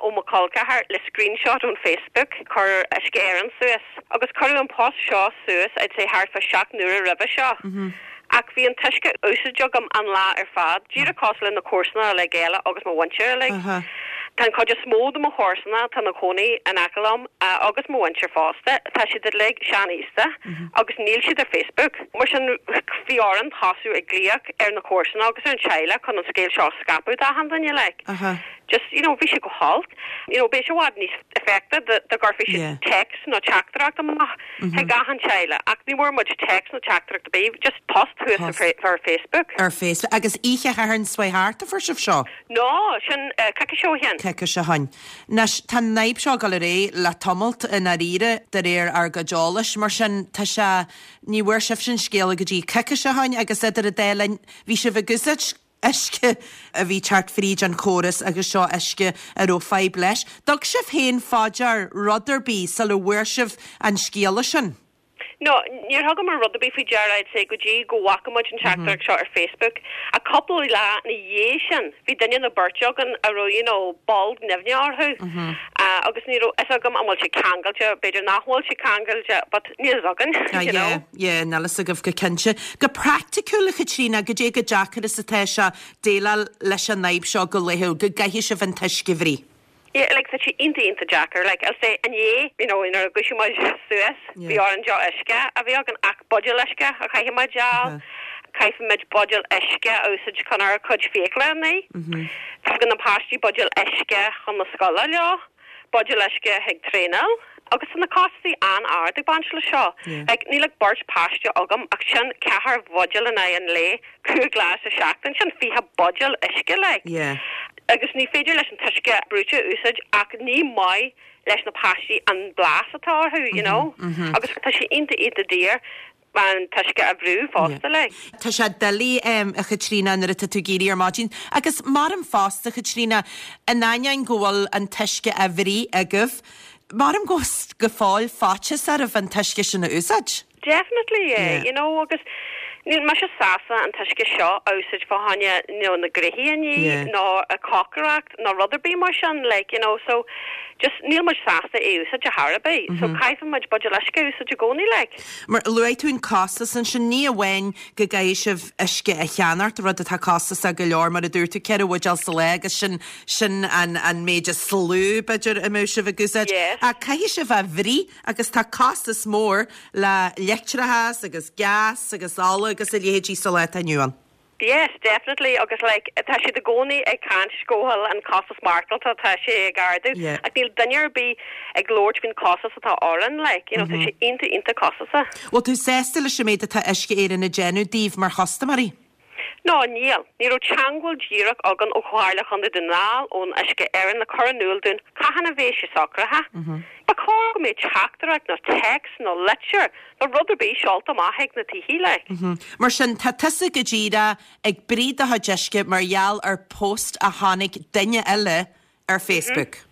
ó mo chol ceathar le screenshot ón Facebook chuir Uisce Éireann suas. Agus cuireadh an post seo suas I'd say thart fá 7 n-uaire roimhe seo. Ach bhí an t-uisce á úsáid agam an lá ar fad, díreach cosúil le na comharsana uilig eile agus mo mhuintir uilig. Tá an chuid is mó de mo chomharsana atá ina chónaí in aice liom, agus mo mhuintir fosta, tá siad uilig sean-aosta agus níl siad ar Facebook. Mar sin, bhí orainn tosú ag glaoch ar na comharsana agus ar an teaghlach chun an scéal seo a scaipeadh d'achan duine, like. Just, you know, bhí sé go holc. You know, bheadh sé i bhfad níos effective dá gcuirfí siad text nó teachtaireacht amach chuig achan teaghlach. Ach ní bhfuair muid text nó teachtaireacht ar bith, just post thuas ar Facebook. Ar Facebook. Agus oíche Shathairn seo chuaigh thart a fuair sibh seo? No, sin coicís ó shin. Coicís ó shin. Anois, tá an fhadhb seo ag dul ar aghaidh le tamalt i ndáiríre, de réir ár gcuid eolais. Mar sin, tá sé, ní bhfuair sibhse an scéala go dtí coicís ó shin agus idir an dá linn, bhí sibh ag úsáid uisce a bhí teacht fríd an chóras agus seo uisce a raibh fadhb leis. Dtug sibh féin fá dear rud ar bith sula bhfuair sibh an scéala sin? No, níor thugamar rud ar bith faoi deara, I'd say, go dtí go bhfaca muid an teachtaireacht seo ar Facebook. Ach cúpla lá ina dhiaidh sin, bhí duine nó beirt againn a raibh, you know, bolg nimhneach orthu agus ní raibh fhios agam an bhfuil sé ceangailte, b'fhéidir nach bhfuil sé ceangailte, but níl fhios againn, you know. Yeah. Yeah, níl fhios agaibh go cinnte. Go praiticiúil, a Chaitríona, goidé chomh deacair is atá sé déileáil leis an fhadhb seo go laethúil, go gcaithfidh sibh an t-uisce a bhrí? Yeah, like, tá sé iontach, iontach deacair. Like, I'll say, inné, you know, nuair a dhúisigh muid suas, bhí orainn deoch uisce a bhí againn ach buidéal uisce a chaithfidh muid a fháil. Caithfimid buidéal uisce a úsáid chun ár gcuid fiacla a ní. Tugann na páistí buidéal uisce chun na scoile leo. Buidéal uisce chuig traenáil agus tá na costaí an-ard ag baint le seo. Like, níl ach beirt páiste agam ach sin ceathair bhuidéal in aghaidh an lae, cúig lá sa seachtain, sin 20 buidéal uisce, like. Agus ní féidir leis an t-uisce brúite a úsáid ach ní maith leis na páistí an blas atá orthu, you know. Agus tá sé iontach iontach daor. an t-uisce a bhrú fosta, like. Tá sé doiligh, a Chaitríona, nuair atá tú ag éirí ar maidin. Agus maram fosta, a Chaitríona, in ainneoin go bhfuil an t-uisce á bhrí agaibh, maram go bhfuil go fóill faitíos oraibh an t-uisce sin a úsáid. Definitely, yeah, you know, agus níl mise sásta an t-uisce seo a úsáid fá choinne, you know, na gréithí a ní, nó cócaireacht. nó rud ar bith mar sin, like, you know, so just níl muid sásta é a úsáid ar chor ar bith, so caithfidh muid buidéal uisce a úsáid i gcónaí, like. Mar luaigh tú an costas ansin, ní amháin go gcaithfidh sibh uisce a cheannacht, rud atá costasach go leor, mar a dúirt tú, ceithre bhuidéal sa lá agus sin, sin an, an méid is lú, b'fhéidir, a mbeadh sibh ag úsáid, Yes. ach caithfidh sibh a bhrí agus tá costas mór le leictreachas agus gas agus ola agus a leithéidí sa lá atá inniu ann. Yes, definitely agus like tá siad i gcónaí ag caint go bhfuil an costas maireachtála tá sé ag ardú Yeah. ach níl duine ar bith ag labhairt faoin costas atá orainn like you know tá sé iontach iontach costasach. Bhfuil tú sásta leis an méid atá Uisce Éireann ag déanamh daoibh mar chustaiméirí? No, níl. Ní raibh teangmháil díreach againn ó Chomhairle Chontae Dhún na nGall, ón Uisce Éireann le cur in iúl dúinn cathain a bheidh sé socraithe. Ba chóir go mbeadh teachtaireacht nó text nó litir nó rud ar bith seolta amach ag na tithe, like. Mar sin, tá tusa go díreach ag brí do chuid uisce mar gheall ar post a chonaic duine eile ar Facebook.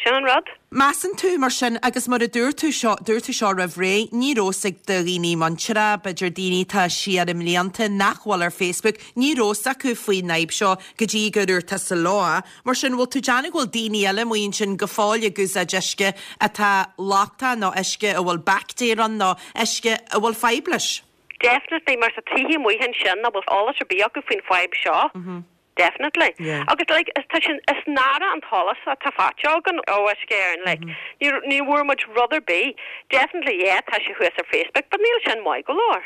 Sin an rud. Measann tú, mar sin, agus mar a dúirt tú seo, dúirt tú seo roimh ré, ní raibh fhios ag do dhaoine muinteartha, b'fhéidir daoine atá siar i mblianta nach bhfuil ar Facebook, ní raibh fhios acu faoin fhadhb seo go dtí gur dhúirt tusa leo. Mar sin, bhfuil tú déanamh go bhfuil daoine eile amuigh ansin go fóill ag úsáid uisce atá lochtach nó uisce a bhfuil baictéir ann nó uisce a bhfuil fadhb leis? Definitely, mar tá tithe amuigh ansin nach bhfuil eolas ar bith acu faoin fadhb seo. Definitely. Agus like, is tá sin, is náire an t-eolas atá faighte againn ó Uisce Éireann, like, ní, ní bhfuair muid rud ar bith. Definitely, yeah, tá sé thuas ar Facebook, but níl sin maith go leor.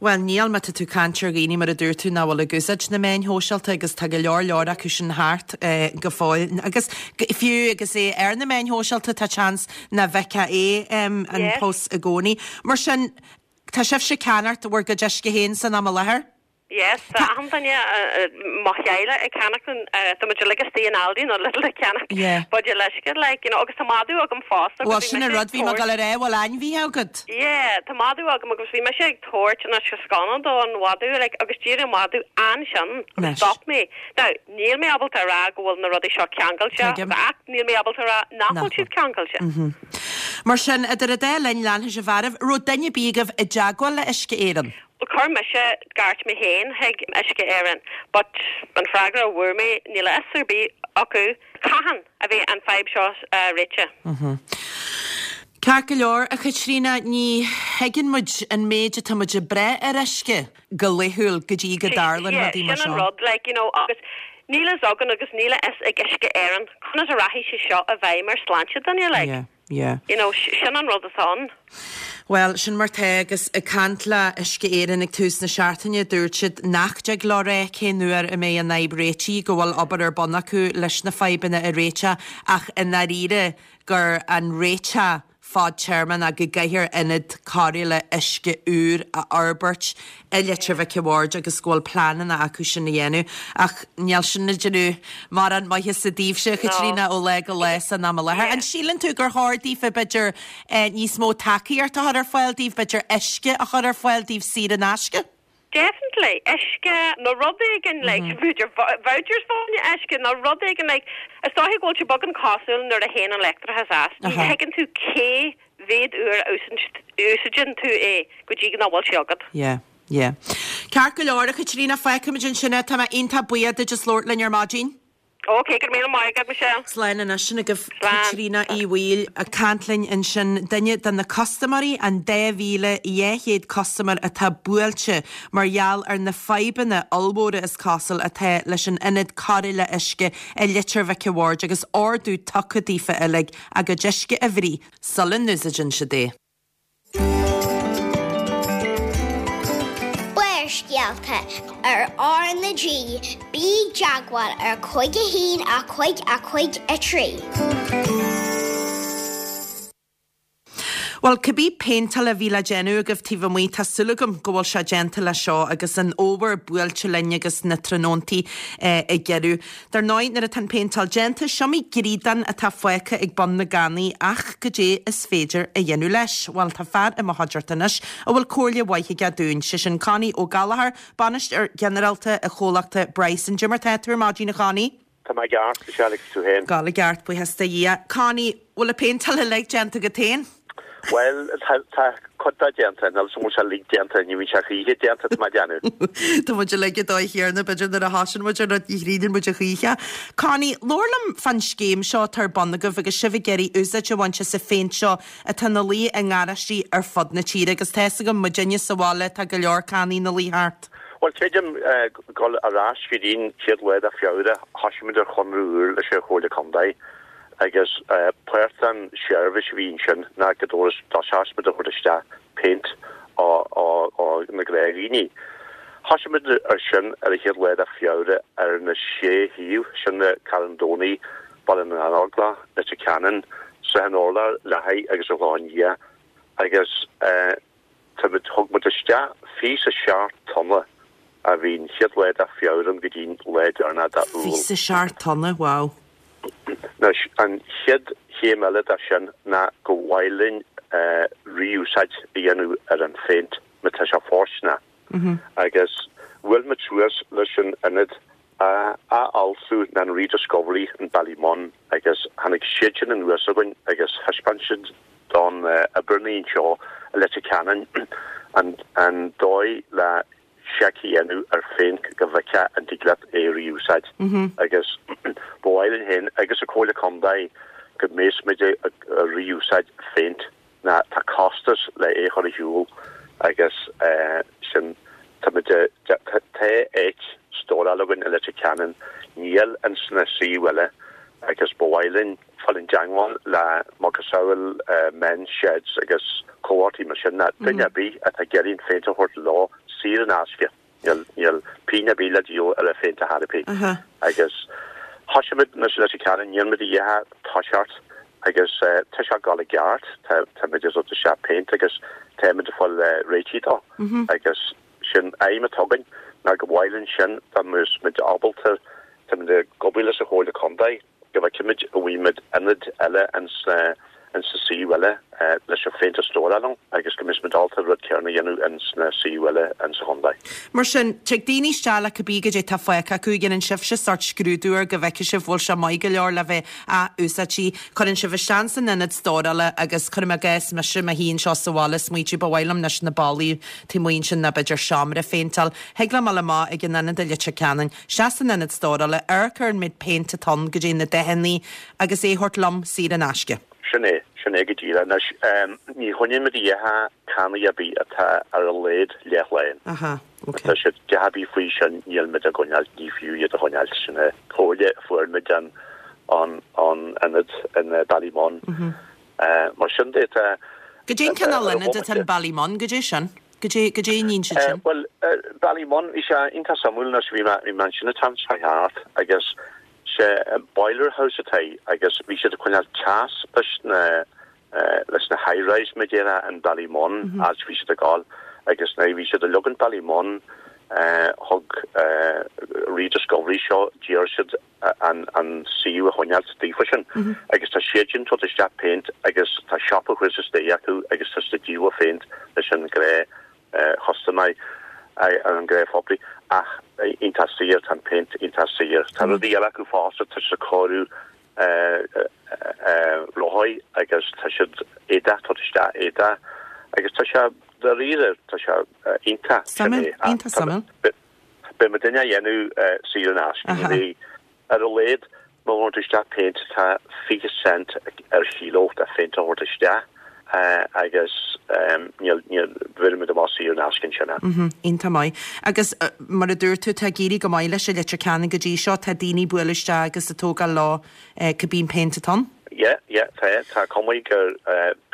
Bhuel, níl, má tá tú ag caint ar dhaoine, mar a dúirt tú, nach bhfuil ag úsáid na meáin shóisialta agus tá go leor leor acu sin thart go fóill. Agus fiú agus é ar na meáin shóisialta, tá seans nach bhfeicfeá é, an post i gcónaí. Mar sin, tá sibhse ag ceannacht bhur gcuid uisce féin san am i láthair? Yes, tá achan duine, mo theaghlach ag ceannach an, tá muid uilig istigh in Aldi nó Lidl ag ceannach buidéal uisce, like, you know, agus tá madadh agam fosta Bhuel, sin an rud, bhí mé ag dul a rá, bhfuil ainmhithe agat? Yeah, tá madadh agam agus bhí mise ag tabhairt an uisce sconna don mhadadh, like, agus d'éirigh an madadh ansin agus stop mé. Now, níl mé ábalta a rá go bhfuil na rudaí seo ceangailte, ach níl mé ábalta a rá nach bhfuil siad ceangailte. Mar sin, idir an dá linn, leanfaidh sibh oraibh. Raibh duine ar bith agaibh i dteagmháil le Uisce Éireann? Chuir mise gairt mé féin chuig Uisce Éireann but an freagra a bhfuair mé, níl a fhios ar bith acu cathain a bheidh an fadhb seo réitithe. Ceart go leor, a Chaitríona, ní thuigeann muid an méid atá muid ag brath ar uisce go laethúil go dtí go dtarlann rudaí mar seo. Sin an rud, like, you know, agus níl a fhios againn agus níl a fhios ag Uisce Éireann conas a rachaidh sé seo i bhfeidhm ar sláinte duine, like. Yeah. You know, sin an rud atá ann. Bhuel, sin mar tá agus ag caint le Uisce Éireann ag tús na seachtaine, dúirt siad nach dtig leo rá cén uair a mbeidh an fhadhb réitithe, go bhfuil obair ar bun acu leis na fadhbanna a réiteach ach i ndáiríre gur an réiteach fadtéarma ná go gcaithfear ionad cóireála uisce úr a fhorbairt i Leitir Mhic a' Bhaird agus go bhfuil pleananna acu sin a dhéanamh. Ach níl sin ag déanamh mórán maitheasa daoibhse, a Chaitríona, ó lá go lá san am i láthair. An síleann tú gur chóir daofa, b'fhéidir, níos mó tacaíocht a chur ar fáil daoibh, b'fhéidir uisce a chur ar fáil daoibh saor in aisce? Definitely. Uisce nó rud éigin like, b'fhéidir vouchers fá choinne uisce nó rud éigin like, is dóiche go bhfuil sé beagán cosúil nuair a théann an leictreachas as, ní thuigeann tú cé mhéad uair a úsáideann tú é go dtí nach bhfuil sé agat. Yeah, yeah. Ceart go leor, a Chaitríona, fágfaimid ansin é. Tá mé iontach buíoch duit as labhairt linn ar maidin. Ok, go raibh míle maith agat, Michelle. Slán anois, sin agaibh Caitríona Uí Bhaoill ag caint linn ansin, duine de na custaiméirí, an 2,200 custaiméir atá buailte mar gheall ar na fadhbanna ollmhóra is cosúil atá leis an ionad cóireála uisce i Leitir Mhic a' Bhaird agus ordú tugtha daofa uilig a gcuid uisce a bhruith sula n-úsáideann siad é. Barrscéalta ar R na G, bí i dteagmháil ar 5 1 5 5 3. Bhuel, cibé péinteáil a bhí le déanamh agaibh taobh amuigh, tá súil agam go bhfuil sé déanta leis seo agus an fhómhar buailte linn agus na tráthnóntaí ag giorrú. Dar ndóigh, nuair atá an phéinteáil déanta, is iomaí gríodán atá fágtha ag bun na gcannaí ach goidé is féidir a dhéanamh leis? Bhuel, tá fear i mo chuideachta anois a bhfuil comhairle mhaith aige dúinn, sé sin Connie Ó Gallchóir, Bainisteoir Ginearálta i chomhlachta Bryson. Goidé mar tá tú ar maidin, a Chonnie? Tá mé i gceart, Michelle, agus tú féin? Ag gabháil i gceart, buíochas do Dhia. Connie, bhfuil an phéinteáil uilig déanta agat féin? Bhuel, tá cuid de déanta, níl 'fhios a'm an bhfuil sé uilig déanta, ní bhíonn sé choíche déanta, tá mé ag déanamh. Tá muid uilig an dóigh chéanna, b'fhéidir nuair a thosaíonn muid ar rud ní chríochnaíonn muid a choíche. Connie, labhair liom fán scéim seo atá ar bun agaibh agus sibh ag iarraidh úsáid a bhaint as an phéint seo atá ina luí i ngaráistí ar fud na tíre agus tá 'fhios agam, muidinne sa bhaile, tá go leor cannaí ina luí thart. Bhuel, creidim dul ar ais go dtí'n chéad lá de Feabhra, thosaigh muid ar chonradh úr leis an Chomhairle Contae. Agus páirt den seirbhís a bhí ansin ná go dtosós muid a thabhairt isteach péint ó na gnáthdhaoine. Thosaigh muid ar sin ar an chéad lá de Feabhra ar na sé shuíomh, sin na Carn Domhnaigh, Baile na nÓglach, Leitir Ceanainn, Srath an Urláir, Leathaigh agus an Chlochán Liath agus Tá muid, thug muid isteach 27 tonna ó bhí an chéad lá de Feabhra ann go dtí an lá deireanach de Iúil. 27 tonna, wow. Anois, an chéad chéim eile de sin ná go mhaith linn ré-úsáid a dhéanamh ar an phéint má tá sé fóirsteanach. Agus bhuail muid suas leis an ionad athfhoilsiú ná an Rediscovery in Ballymun agus tháinig siad sin anuas chugainn agus thaispeáin siad don oibreannaí anseo i Leitir Ceanainn an dóigh le seic a dhéanamh ar phéint go bhfeicfeá an dtig leat é a ré-úsáid agus ba mhaith linn féin agus an Comhairle Contae go mbeas muid ag ré-úsáid phéint ná tá costas le é chur ar shiúl agus sin tá muid tá áit stóráil againn i Leitir Ceanainn, níl ins na suíomh eile agus ba mhaith linn fáil i dteangmháil le macasamhail Men's Sheds agus comhlachtaí mar sin ná duine ar bith atá ag iarraidh an phéint a thabhairt leo saor in aisce. Níl pingin ar bith le díol ar an phéint ar chor ar bith. Agus thosaigh muid anois i Leitir Ceanainn, níl muid i ndiaidh toiseacht agus tá sé ag dul i gceart, tá muid ag tabhairt isteach péint agus tá muid ag fáil réitithe dó. Agus sin aidhm atá againn. Ná go mhaith linn sin dá mbeadh muid ábalta, táimid ag obair leis an Chomhairle Contae go bhfeicfimid an bhfaighimid ionad eile ins na ins na suíomh eile leis an phéint a stóráil ann agus go mbeidh muid ábalta an rud céanna a dhéanamh ins na suíomh eile ins an chontae. Mar sin, tig daoine isteach le cibé goidé tá fágtha acu, dhéanann sibhse sórt scrúdú air go bhfeicfidh sibh bhfuil sé maith go leor le bheith ath-úsáidte. Cuireann sibh isteach san ionad stórála agus cuirim i gcás mise i mo shuí anseo sa bhaile ag smaoitiú ba mhaith liom anois na ballaí taobh amuigh ansin nó b'fhéidir seomra a phéinteáil. Thig liom dul amach ag an ionad i Leitir Ceanainn, isteach san ionad stórála, amharc ar an méid péint atá ann, goidé na dathanna agus é a thabhairt liom saor in aisce. Sin é, sin é go díreach. Anois, ní choinníonn muid a dhath cannaí ar bith atá ar a laghad leathlán. Aha, ok. Tá siad a dhath ar bith faoi sin, níl muid á gcoinneáil, ní fiú iad a choinneáil. Sin é comhairle a fuair muid an, an, an ionad in Ballymun. Mar sin de, tá. Goidé an cineál ionad atá in Ballymun, goidé sin? Goidé, goidé a níonn siad sin? Bhuel, Ballymun, bhí sé iontach suimiúil anois, bhí mé, bhí mé ansin an t-am seo thart agus sé boiler house atá agus bhí siad ag coinneáil teas leis na, leis na high rise mar a déarfá in Ballymun, áit bhí siad ag gabháil agus nuair a bhí siad ag leagaint Ballymun, thug Rediscovery seo, d'iarr siad an an suíomh a choinneáilt daofa sin agus tá siad sin ag tabhairt isteach péint agus tá siopa thuas istigh acu agus tá siad ag díol phéint leis an ghnáth chustaiméir an ghnáth phoiblí ach iontach saor tá an péint iontach saor. Tá rudaí eile acu fosta tá siad ag cóiriú rothaí agus tá siad éadach tabhairt isteach éadach agus tá sé dáiríre tá sé iontach Suimiúil, iontach suimiúil. Beidh muidinne á dhéanamh saor in aisce. Ní bheidh. Ar a laghad, má thabhairt isteach péint tá 20 cent ar chíló de phéint a thabhairt isteach agus níl, níl, bheireann muid amach saor in aisce ansin é. Iontach maith. Agus mar a dúirt tú, tá ag éirí go maith leis i Leitir Ceanainn go dtí seo. Tá daoine ag bualadh isteach agus ag tógáil leo cibé an péint atá ann. Yeah, yeah, tá, tá cuma gur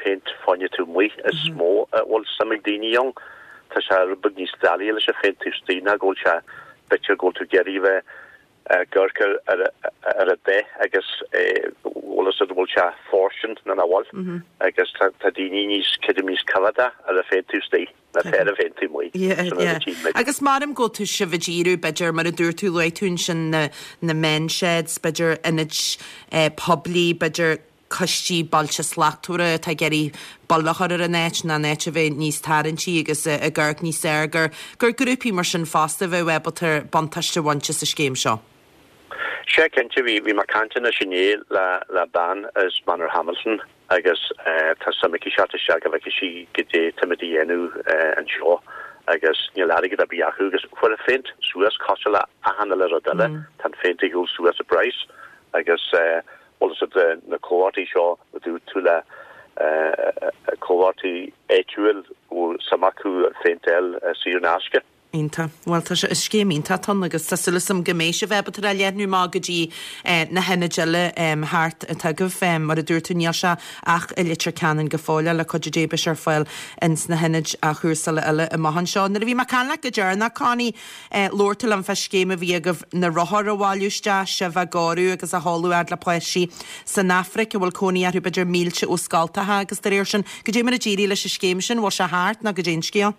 péint fá choinne taobh amuigh is mó a bhfuil suim ag daoine ann. Tá sé rud beag níos doiligh leis an phéint taobh istigh ná go bhfuil sé, b'fhéidir go bhfuil tú ag iarraidh a bheith ag amharc ar ar an dath agus bhfuil fhios agat bhfuil sé fóirstean nó nach bhfuil agus tá daoine níos, creidim níos coimheádach ar an phéint taobh istigh. ná atá ar an bpéint taobh amuigh. Yeah, yeah. Agus maram go bhfuil sibh ag díriú, b'fhéidir, mar a dúirt tú, luaigh tú ansin na, na men's sheds, b'fhéidir ionaid eh, poiblí, b'fhéidir coistí Bailte Slachtmhara atá ag iarraidh bail a chur ar an áit nó an áit a bheith níos tarraingtí agus ag amharc níos fearr, gur, gur grúpaí mar sin fosta a bheadh ábalta buntáiste a bhaint as an scéim seo. Sea, cinnte, bhí, bhí mé ag caint anois inné le, le bean as Manorhamilton agus tá suim aici teacht isteach go bhfeicfidh sí goidé táimid a dhéanamh anseo agus níl airgead ar bith acu agus chuir an phéint suas cosúil le achan uile rud eile, tá an phéint ag dul suas i bpraghas agus bhfuil fhios agat na comhlachtaí seo a dúirt tú le comhlachtaí áitiúil bhfuil suim acu an phéint a fháil saor in aisce. Iontach. Bhuel, tá sé, is scéim iontach atá ann agus tá súil agam go mbeidh sibh ábalta é a leathnú amach go dtí na hionaid eile thart atá agaibh. Mar a dúirt tú, níl sé ach i Leitir Ceanainn go fóill, le cuidiú Dé beidh sé ar fáil ins na hionaid athchúrsála eile amach anseo. Nuair a bhí mé ag caint leat go deireanach, Connie, labhair tú liom fá scéim a bhí agaibh na rothair a bhailiú isteach, sibh á gcóiriú agus á sheoladh fhad le páistí san Afraic a bhfuil cónaí orthu b'fhéidir mílte ó scoltacha agus dá réir sin. Goidé mar a d'éirigh leis an scéim sin, bhfuil sé thart nó goidé an scéal?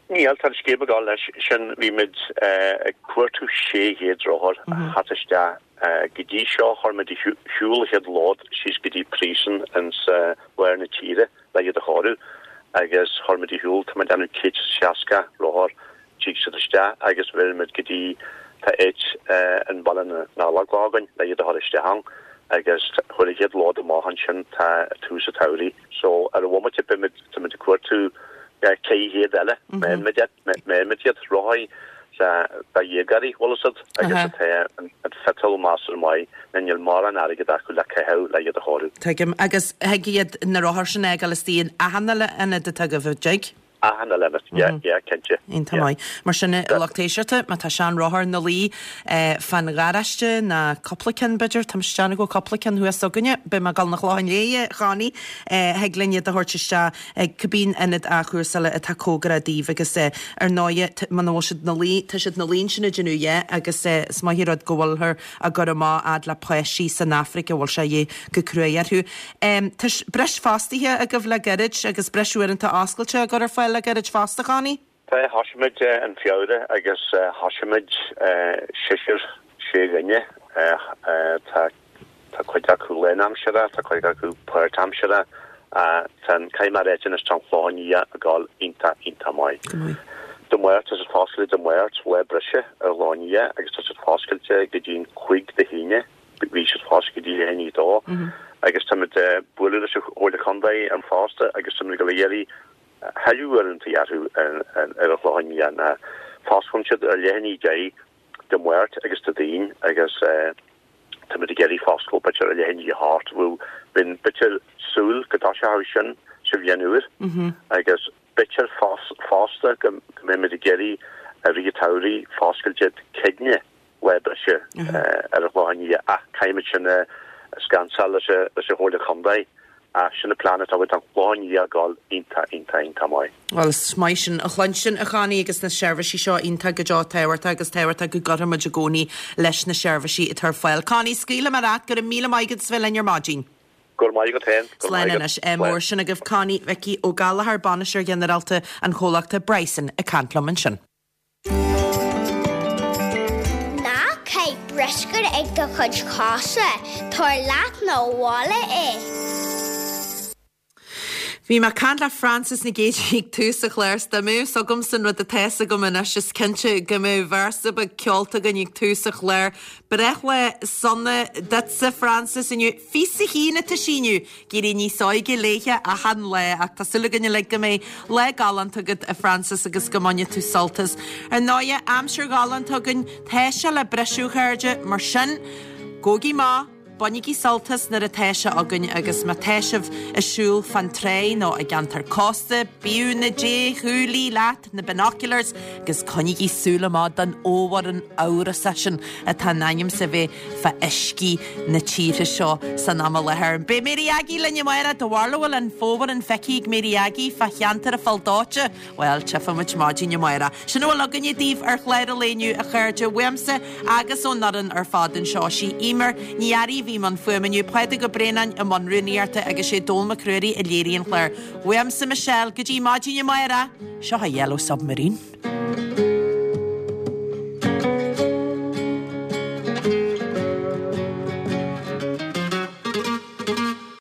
Níl, tá an scéim ag dul leis sin. Bhí muid ag cuartú 600 rothar a theacht isteach. Go dtí seo chuir muid ar shiúl an chéad lód síos go dtí príosún ins lár na tíre le iad a chóiriú agus chuir muid ar shiúl, tá muid ag déanamh 160 rothar, tig siad isteach agus bheireann muid go dtí, tá áit in Baile na nGallóglach againn le iad a chur isteach ann agus chuir an chéad lód amach ansin tá tús an tsamhraidh. So ar an bhomaite beidh muid, tá muid ag cuartú 400 eile, meánmid iad, meánmid iad, rothaí do dhéagóirí, bhfuil fhios agat, agus atá an friotal measartha maith, nó níl mórán airgead acu le caitheamh le iad a chóiriú. Tuigim. Agus thig iad na rothair sin a fhágáil istigh in achan uile ionad atá agaibh, an dtig? Achan uile ionad, yeah, yeah, cinnte. Iontach maith. Mar sin, a lucht éisteachta, má tá sean-rothar ina luí fán gharáiste, ná cúpla ceann b'fhéidir, tá mise ag déanamh go bhfuil cúpla ceann thuas againne, beidh mé ag dul 'na Clochán Léith, a Chonnie, thig linn iad a thabhairt isteach ag cibé ionad athchúrsála atá cóngarach daoibh agus ar ndóighe, muna bhfuil siad 'na luí, tá siad 'na luí ansin ag déanamh a dhath agus is maith an rud go bhfuilthear á gcur amach fhad le páistí san Afraic a bhfuil sé a dhíth go cruaidh orthu. Tá breis fostaithe agaibh le gairid agus breis uaireanta oscailte á gcur ar fáil le gairid fosta, Connie? Tá, thosaigh muid in Feabhra agus thosaigh muid seisear, sé dhuine. Tá tá cuid acu lánaimseartha, tá cuid acu páirtaimseartha. Tá an, caithfidh mé a ráit anois, tá an Clochán Liath ag gabháil iontach, iontach maith. Go maith. Dé Máirt, tá siad foscailte Dé Máirt, lá breise ar an Chlochán Liath agus tá siad foscailte go dtí an chúig de haoine. Bhí siad foscailte go dtí leath i ndiaidh a dó agus táimid ag bualadh leis an Chomhairle Contae an fosta agus táimid ag dul a iarraidh thuilleadh uaireanta orthu ar an Chlochán Liath ná fosclaíonn siad ar leath i ndiaidh a 10 Dé Máirt agus Dé Daoin agus táimid ag iarraidh foscailt b'fhéidir ar leath i ndiaidh a hocht. Bhuel, bíonn b'fhéidir súil go dtoiseoidh sin sa bhliain úr agus b'fhéidir fosta go mbeimid ag iarraidh i rith an tsamhraidh foscailt Dé Céadaoine lá breise ar an Chlochán Liath ach caithfimid sin a scansáil leis an Chomhairle Contae ach sin an plean atá againn. Tá an Clochán Liath ag gabháil iontach, iontach, iontach maith. Bhuel, is maith sin a chluinstin, a Chonnie, agus na seirbhísí seo iontach go deo tábhachtach agus tábhachtach go gcuirfidh muid i gcónaí leis na seirbhísí atá ar fáil. Connie, scaoilfidh mé leat, go raibh míle maith agat as bheith linn ar maidin. Go raibh maith agat féin. Go raibh Slán maith agat. anois. Ádh mór sin agaibh. Connie Mhicí Ó Gallchóir, Bainisteoir Ghinearálta an chomhlachta Bryson ag caint liom ansin. Ná caith bruscar ag do chuid cosa, tabhair leat 'na bhaile é. Bhí mé ag caint le Frances Nic Géadaigh ag tús an chláir 's dá mbeadh 's agamsa an rud atá 's agam anois is cinnte go mbeadh véarsa beag ceolta againn ag tús an chláir. Breithlá sona duitse Frances inniu. Fiche a haon atá sí inniu. Ag éirí níos óige léithe achan lá ach tá súil againn uilig go mbeidh lá galánta agat a Frances agus go mbainfidh tú sult as. Ar ndóighe, aimsir ghalánta againn, tá sé le briseadh a chairde, mar sin, gabhaigí amach, bainigí sult as nuair atá sé againn agus má tá sibh ag siúl fán tráigh nó i gceantar cósta, bíodh na déshúiligh leat! na binoculars agus coinnígí súil amach don fhomhuireán amhrasach sin atá in ainm 's a bheith fá uiscí na tíre seo san am i láthair. Beidh Mary Aggie linn amárach, do bharúil an bhfuil an fomhuireán feicthe ag Mary Aggie fá cheantar an Phoill Dóite? Bhuel, tchífidh muid maidin amárach. Sin a bhfuil againne daoibh ar chlár an lae inniu, a chairde, uaimse agus ón fhoireann ar fad anseo. Sí Emer Ní Fhearraigh a bhí i mbun fuaime inniu, Pádraig Ó Braonáin i mbun rúnaíochta agus sé Dónall Mac Ruairí a léirigh an clár. Uaimse Michelle, go dtí maidin amárach, seo a Yellow Submarine.